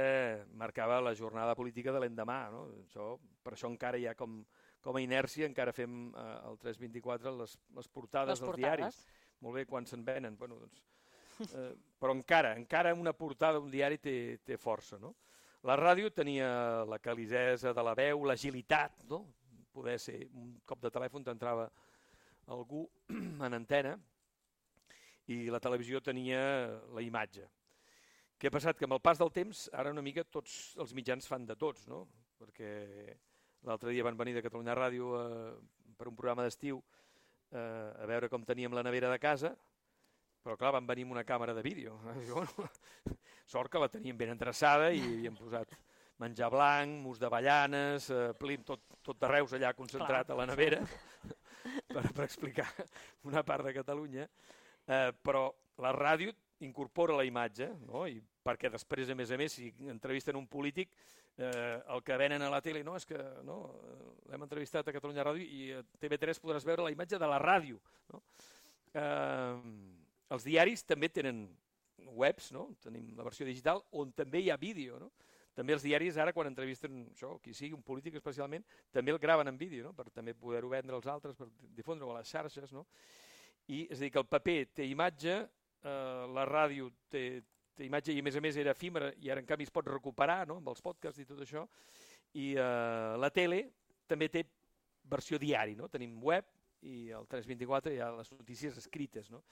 marcava la jornada política de l'endemà. No? Això, per això encara hi ha com, com a inèrcia, encara fem eh, el tres vint-i-quatre les, les portades les dels portades. diaris. Molt bé, quan se'n venen. Bueno, doncs, eh, però encara, encara una portada d'un diari té, té força. No? La ràdio tenia la calidesa de la veu, l'agilitat, no? Poder ser un cop de telèfon t'entrava algú en antena, i la televisió tenia la imatge. Què ha passat? Que amb el pas del temps, ara una mica tots els mitjans fan de tots, no? Perquè l'altre dia van venir de Catalunya Ràdio eh, per un programa d'estiu eh, a veure com teníem la nevera de casa, però clar, van venir amb una càmera de vídeo. Sort que la teníem ben endreçada i hi hem posat menjar blanc, mus d'avellanes, eh, plim, tot, tot de Reus allà concentrat Clar, a la nevera, per, per explicar una part de Catalunya, eh, però la ràdio incorpora la imatge, no? I perquè després, a més a més, si entrevisten un polític, eh, el que venen a la tele, no, és que no, l'hem entrevistat a Catalunya Ràdio i a T V tres podràs veure la imatge de la ràdio. No? Eh, els diaris també tenen webs, no? Tenim la versió digital, on també hi ha vídeo, no? També els diaris ara, quan entrevisten això, qui sigui, un polític especialment, també el graven en vídeo, no? Per també poder-ho vendre als altres, per difondre-ho a les xarxes, no? I és a dir, que el paper té imatge, eh, la ràdio té, té imatge i a més a més era efímera i ara en canvi es pot recuperar, no? Amb els podcasts i tot això, i eh, la tele també té versió diari, no? Tenim web i al tres vint-i-quatre hi ha les notícies escrites, no?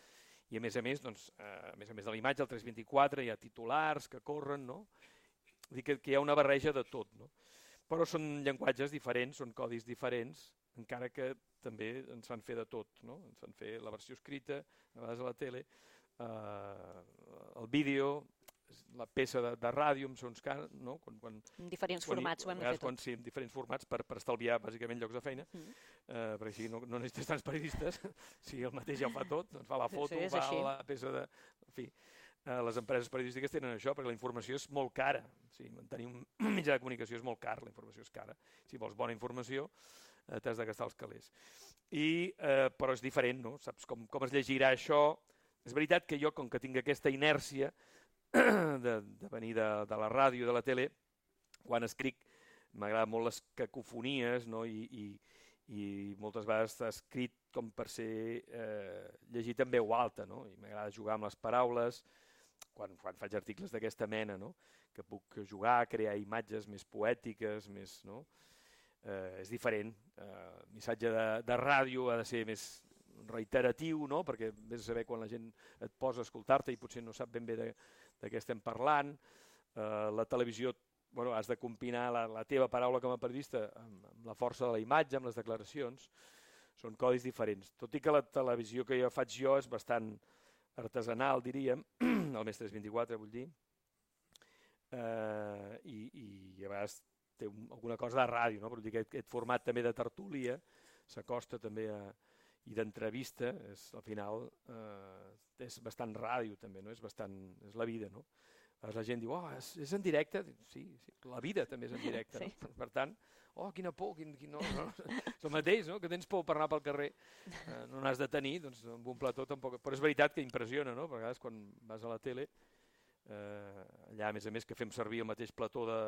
I a més a més, doncs, eh, a més a més de la imatge, al tres vint-i-quatre hi ha titulars que corren, no? Vull dir que, que hi ha una barreja de tot, no? Però són llenguatges diferents, són codis diferents, encara que també ens fan fer de tot, no? Ens fan fer la versió escrita, a vegades a la tele, eh, el vídeo, la peça de, de ràdio, amb sons car, no? Quan, quan, en diferents quan, formats, ho hem vegades, fet tot. Quan, sí, en diferents formats, per, per estalviar bàsicament llocs de feina, mm. eh, perquè així no, no necessites tants periodistes, si el mateix ja ho fa tot, doncs fa la foto, sí, fa així. La peça de... En fi, eh, les empreses periodístiques tenen això, perquè la informació és molt cara. Sí, mantenir un mitjà de comunicació és molt car, la informació és cara. Si vols bona informació, eh, t'has de gastar els calés. I, eh, però és diferent, no? Saps com, com es llegirà això? És veritat que jo, com que tinc aquesta inèrcia de, de venir de, de la ràdio, de la tele, quan escric m'agrada molt les cacofonies, no? I, i, i moltes vegades està escrit com per ser eh, llegit en veu alta, no? I m'agrada jugar amb les paraules, quan, quan faig articles d'aquesta mena, no? Que puc jugar, crear imatges més poètiques, més, no? Eh, és diferent. Eh, el missatge de, de ràdio ha de ser més reiteratiu, no? Perquè vés a saber quan la gent et posa a escoltar-te i potser no sap ben bé de, de què estem parlant. Eh, la televisió, bueno, has de combinar la, la teva paraula com a periodista amb, amb la força de la imatge, amb les declaracions. Són codis diferents. Tot i que la televisió que jo faig jo és bastant artesanal, diríem, el més tres vint-i-quatre, vull dir, eh, i, i a vegades té un, alguna cosa de ràdio, no? Però dir que aquest, aquest format també de tertúlia s'acosta també a i d'entrevista, és, al final eh, és bastant ràdio també, no? És bastant, és la vida, no? La gent diu, oh, és, és en directe? Sí, sí, la vida també és en directe, sí. No? Per tant, oh, quina por, quin, quin, no, no, és el mateix, no? Que tens por per anar pel carrer, eh, no n'has de tenir, doncs amb un plató tampoc, però és veritat que impressiona, no? A vegades quan vas a la tele, eh, allà a més a més que fem servir el mateix plató de,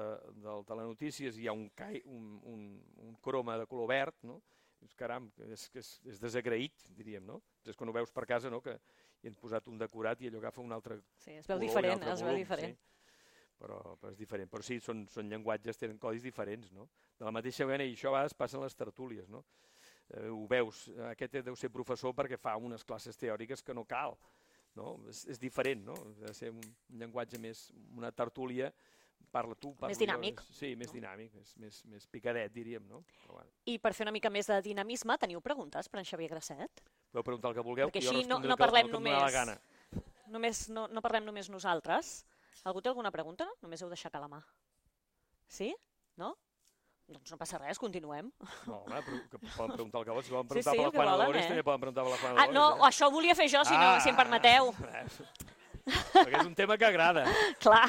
del telenotícies, hi ha un, cai, un, un, un croma de color verd, no? Caram, és, és, és desagraït, diríem, no? És quan ho veus per casa, no? Que hi hem posat un decorat i allò agafa un altre sí, es veu color, diferent, es veu diferent. Sí. Però, però és diferent. Però sí, són, són llenguatges, tenen codis diferents, no? De la mateixa manera, i això a vegades passa en les tertúlies, no? Eh, ho veus, aquest deu ser professor perquè fa unes classes teòriques que no cal, no? És, és diferent, no? Ha de ser un llenguatge més, una tertúlia, parla tu, parla més dinàmic. Jo, sí, més no? dinàmic, més, més, més picadet, diríem, no? Però, bueno. I per fer una mica més de dinamisme, teniu preguntes per en Xavier Grasset? Podeu preguntar el que vulgueu, perquè jo així no, no parlem que, només, la gana. només no, no parlem només nosaltres. Algú té alguna pregunta? Només heu d'aixecar la mà. Sí? No? Doncs no passa res, continuem. No, home, però que poden preguntar el que volen. Si volen preguntar sí, sí, per la Juana volen, Dolores, eh? també poden preguntar per la Juana ah, Dolores. No, eh? això ho volia fer jo, si, ah, no, si em permeteu. Perquè és un tema que agrada. Clar.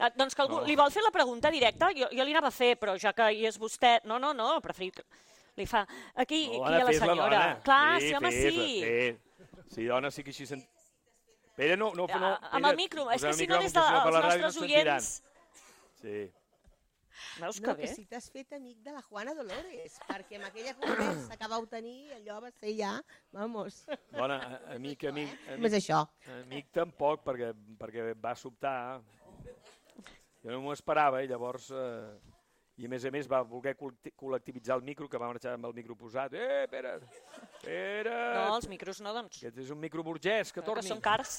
Ah, doncs que algú no. li vol fer la pregunta directa, jo, jo li anava a fer, però ja que hi és vostè... No, no, no, preferit que li fa... Aquí, no, aquí hi ha la senyora. Clar, sí, sí, home, fes, sí. Sí, sí, dona, sí que així... Sent... Pere, no, no, no, ah, amb el micro, és que si no des dels de, nostres oients... Sí. Veus que no, bé? Que si t'has fet amic de la Juana Dolores, perquè amb aquella conversa que vau tenir, allò va ser ja, vamos. Dona, amic, amic... amic Més això. Amic tampoc, perquè, perquè va sobtar... Jo no m'ho esperava i llavors, eh, i a més a més va voler col·lectivitzar el micro, que va marxar amb el micro posat. Eh, Pere, Pere... No, els micros no, doncs. Aquest és un micro burgès, que torni. Que són cars.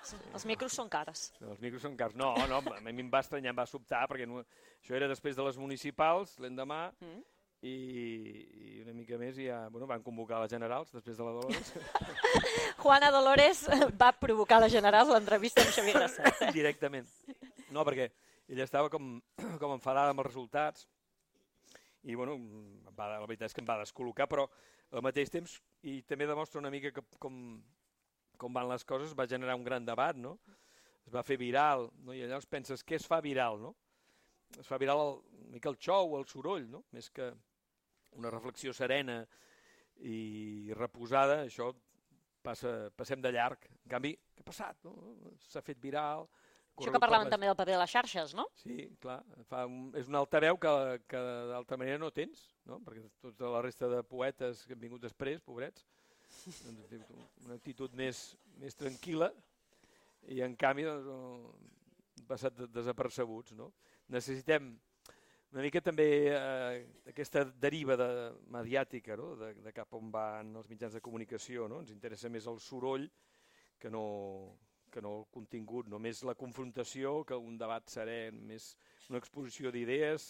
Sí. Els micros són cars. No, els micros són cars. No, no, a mi em va estranyar, em va sobtar, perquè no, això era després de les municipals, l'endemà, mm. i, i una mica més ja bueno, van convocar les generals després de la Dolores. Juana Dolores va provocar la generals l'entrevista amb Xavier Grasset. Eh? Directament. No, perquè ella estava com, com enfadada amb els resultats i bueno, va, la veritat és que em va descol·locar, però al mateix temps, i també demostra una mica que, com, com van les coses, va generar un gran debat, no? Es va fer viral, no? I llavors penses, què es fa viral, no? Es fa viral el, una mica el xou, el soroll, no? Més que una reflexió serena i reposada, això passa, passem de llarg. En canvi, què ha passat? No? S'ha fet viral. Això que parlaven també del paper de les xarxes, no? Sí, clar. Fa un, és un altaveu que, que d'altra manera no tens, no? Perquè tota la resta de poetes que han vingut després, pobrets, doncs, una actitud més, més tranquil·la i en canvi doncs, han passat desapercebuts, no? Necessitem una mica també eh, aquesta deriva de, mediàtica, no? de, de cap on van els mitjans de comunicació. No? Ens interessa més el soroll que no, que no el contingut, no més la confrontació que un debat serè, més una exposició d'idees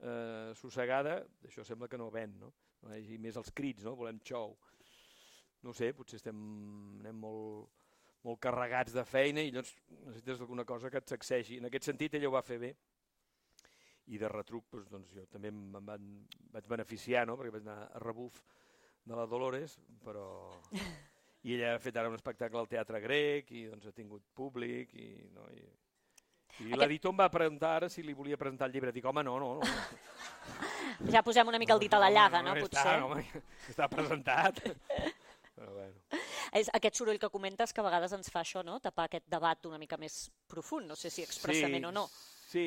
eh, sossegada, això sembla que no ven, no? I més els crits, no? Volem xou. No sé, potser estem anem molt, molt carregats de feina i llavors necessites alguna cosa que et sacsegi. En aquest sentit ella ho va fer bé. I de retruc doncs, doncs, jo també em van, vaig beneficiar, no? Perquè vaig anar a rebuf de la Dolores, però... I ella ha fet ara un espectacle al Teatre Grec i doncs, ha tingut públic i, no? I, i Aquest... l'editor em va preguntar ara si li volia presentar el llibre. Dic, home, no, no, no. Ja posem una mica el dit a la llaga, no? no, no, no potser. Està, no, està presentat. Però bueno. És aquest soroll que comentes que a vegades ens fa això, no? Tapar aquest debat una mica més profund, no sé si expressament sí, o no. Sí,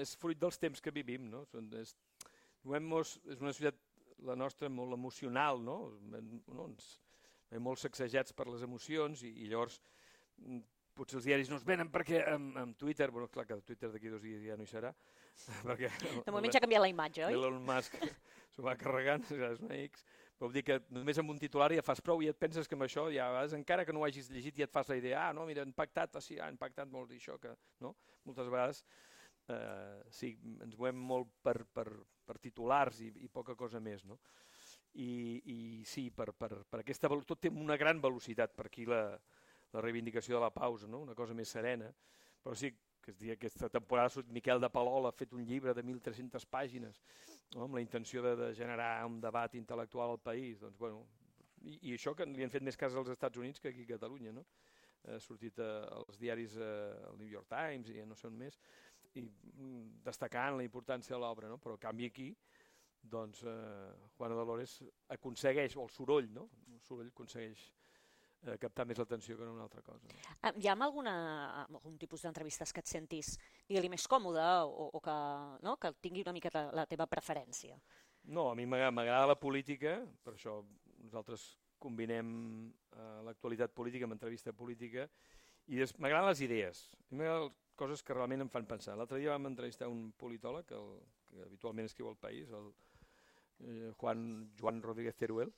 és fruit dels temps que vivim, no? És, és una societat, la nostra, molt emocional, no? no ens, hem molt sacsejats per les emocions i, i llavors potser els diaris no es venen perquè amb, amb Twitter, bueno, clar que Twitter d'aquí dos dies ja no hi serà, perquè... De moment ja ha canviat la imatge, oi? Elon Musk s'ho va carregant, és una X, però vull dir que només amb un titular ja fas prou i et penses que amb això, ja vas, encara que no ho hagis llegit, ja et fas la idea, ah, no, mira, han impactat, ah, sí, ha impactat molt això, que, no? Moltes vegades eh, sí, ens movem molt per, per, per titulars i, i poca cosa més, no? I, i sí, per, per, per aquesta, tot té una gran velocitat per aquí la, la reivindicació de la pausa, no? Una cosa més serena, però sí que es dia, aquesta temporada Miquel de Palol ha fet un llibre de mil tres-centes pàgines, no? Amb la intenció de, de generar un debat intel·lectual al país, doncs, bueno, i, i això que li han fet més cas als Estats Units que aquí a Catalunya, no? Ha sortit eh, als diaris, eh, el New York Times i no sé on més, i mm, destacant la importància de l'obra, no? Però a canvi aquí doncs eh, Juana Dolores aconsegueix, o el soroll, no? El soroll aconsegueix eh, captar més l'atenció que no una altra cosa. No? Hi ha alguna, algun tipus d'entrevistes que et sentis, digue-li, més còmode o, o que, no? Que tingui una mica la, la teva preferència? No, a mi m'agrada la política, per això nosaltres combinem eh, l'actualitat política amb entrevista política, i m'agraden les idees, m'agraden coses que realment em fan pensar. L'altre dia vam entrevistar un politòleg, el, que habitualment escriu al País, el eh, Juan, Joan Rodríguez Teruel,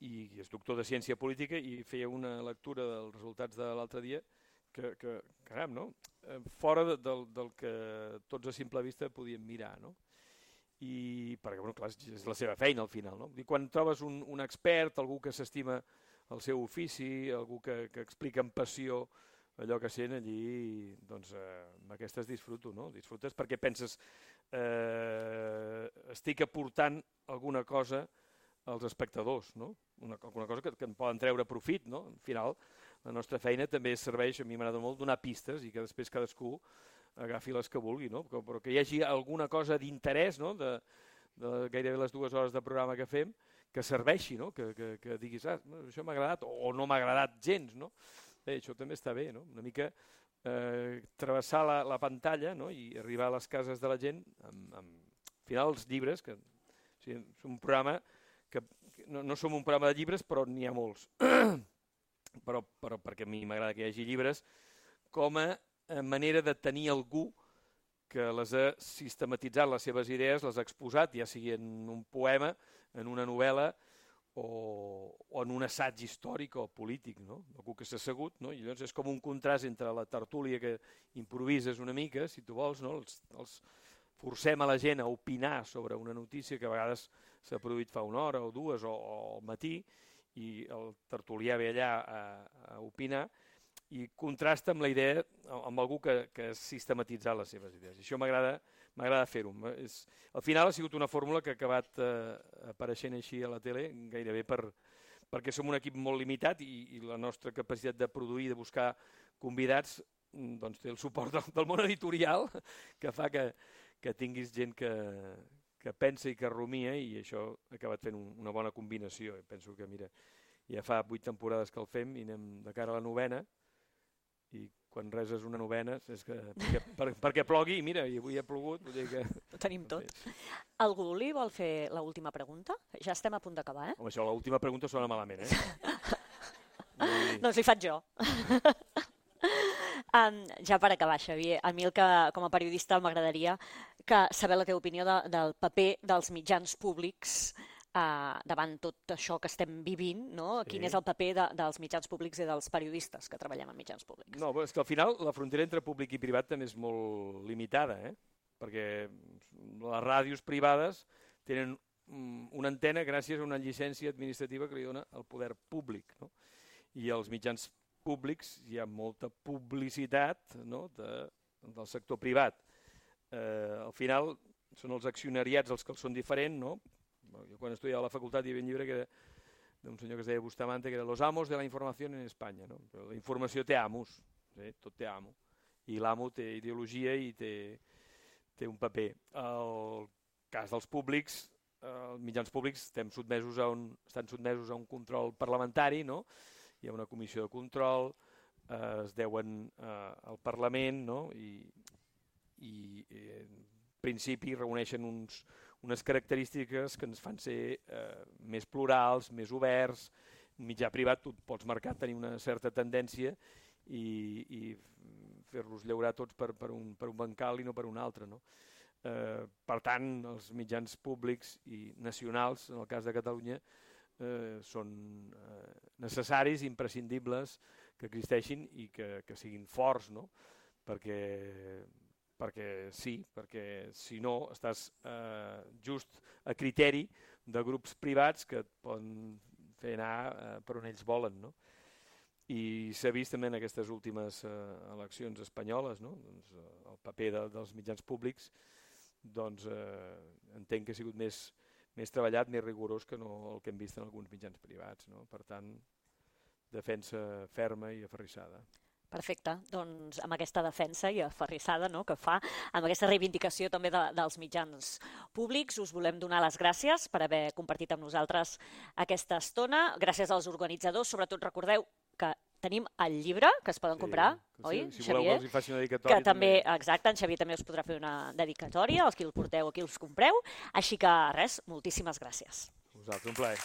i és doctor de ciència política i feia una lectura dels resultats de l'altre dia que, que caram, no? Eh, fora de, del, del que tots a simple vista podíem mirar, no? I perquè, bueno, clar, és la seva feina al final, no? I quan trobes un, un expert, algú que s'estima el seu ofici, algú que, que explica amb passió allò que sent allí, doncs eh, amb aquestes disfruto, no? Disfrutes perquè penses eh, estic aportant alguna cosa als espectadors, no? Una, alguna cosa que, que en poden treure profit, no? Al final, la nostra feina també serveix, a mi m'agrada molt, donar pistes i que després cadascú agafi les que vulgui, no? Però, però que hi hagi alguna cosa d'interès, no? De, de gairebé les dues hores de programa que fem, que serveixi, no? Que, que, que diguis, ah, això m'ha agradat o no m'ha agradat gens, no? Bé, això també està bé, no? Una mica eh, travessar la, la pantalla, no? I arribar a les cases de la gent amb, amb al final els llibres, que o sigui, és un programa que, que no, no som un programa de llibres, però n'hi ha molts. però, però perquè a mi m'agrada que hi hagi llibres com a manera de tenir algú que les ha sistematitzat les seves idees, les ha exposat, ja sigui en un poema, en una novel·la, o, o en un assaig històric o polític, no? Algú que s'ha assegut, no? I llavors és com un contrast entre la tertúlia que improvises una mica, si tu vols, no? Els, els forcem a la gent a opinar sobre una notícia que a vegades s'ha produït fa una hora o dues o, o al matí, i el tertulià ve allà a, a opinar, i contrasta amb la idea, amb algú que, que ha sistematitzat les seves idees. I això m'agrada m'agrada fer-ho. Al final ha sigut una fórmula que ha acabat eh, apareixent així a la tele, gairebé per, perquè som un equip molt limitat i, i la nostra capacitat de produir, de buscar convidats, doncs té el suport del, del món editorial, que fa que, que tinguis gent que, que pensa i que rumia, i això ha acabat fent un, una bona combinació. I penso que, mira, ja fa vuit temporades que el fem i anem de cara a la novena, i quan reses una novena és que perquè, per, perquè plogui, i mira, i avui ha plogut. Vull dir que... Ho tenim tot. Algú li vol fer l'última pregunta? Ja estem a punt d'acabar, eh? Home, això, l'última pregunta sona malament, eh? Dir... Doncs li faig jo. um, ja per acabar, Xavier, a mi el que, com a periodista m'agradaria que saber la teva opinió de, del paper dels mitjans públics Uh, davant tot això que estem vivint, no? Sí. Quin és el paper de, dels mitjans públics i dels periodistes que treballem en mitjans públics? No, és que al final la frontera entre públic i privat també és molt limitada, eh? Perquè les ràdios privades tenen una antena gràcies a una llicència administrativa que li dona el poder públic, no? I als mitjans públics hi ha molta publicitat, no? de, del sector privat. Eh, al final són els accionariats els que són diferents, no? Jo quan estudiava a la facultat hi havia un llibre que era d'un senyor que es deia Bustamante, que era Los amos de la informació en Espanya. No? Però la informació té amos, sí? Tot té amo. I l'amo té ideologia i té, té un paper. El cas dels públics, els mitjans públics estem sotmesos a un, estan sotmesos a un control parlamentari, no? Hi ha una comissió de control, eh, es deuen eh, al Parlament, no? I, i eh, en principi reuneixen uns unes característiques que ens fan ser eh, més plurals, més oberts. En mitjà privat tu pots marcar tenir una certa tendència i, i fer-los llaurar tots per, per, un, per un bancal i no per un altre. No? Eh, per tant, els mitjans públics i nacionals, en el cas de Catalunya, eh, són eh, necessaris, imprescindibles, que existeixin i que, que siguin forts, no? perquè... perquè sí, perquè si no estàs eh, just a criteri de grups privats que et poden fer anar eh, per on ells volen. No? I s'ha vist també en aquestes últimes eh, eleccions espanyoles, no? doncs, eh, el paper de, dels mitjans públics, doncs eh, entenc que ha sigut més, més treballat, més rigorós que no el que hem vist en alguns mitjans privats. No? Per tant, defensa ferma i aferrissada. Perfecte, doncs amb aquesta defensa i aferrissada, no?, que fa, amb aquesta reivindicació també de, dels mitjans públics, us volem donar les gràcies per haver compartit amb nosaltres aquesta estona. Gràcies als organitzadors, sobretot recordeu que tenim el llibre que es poden sí, comprar, sí, oi, si Xavier? voleu que els hi faci una dedicatòria. Que també, també, exacte, en Xavier també us podrà fer una dedicatòria, els qui el porteu o qui els compreu. Així que res, moltíssimes gràcies. Vosaltres, un plaer.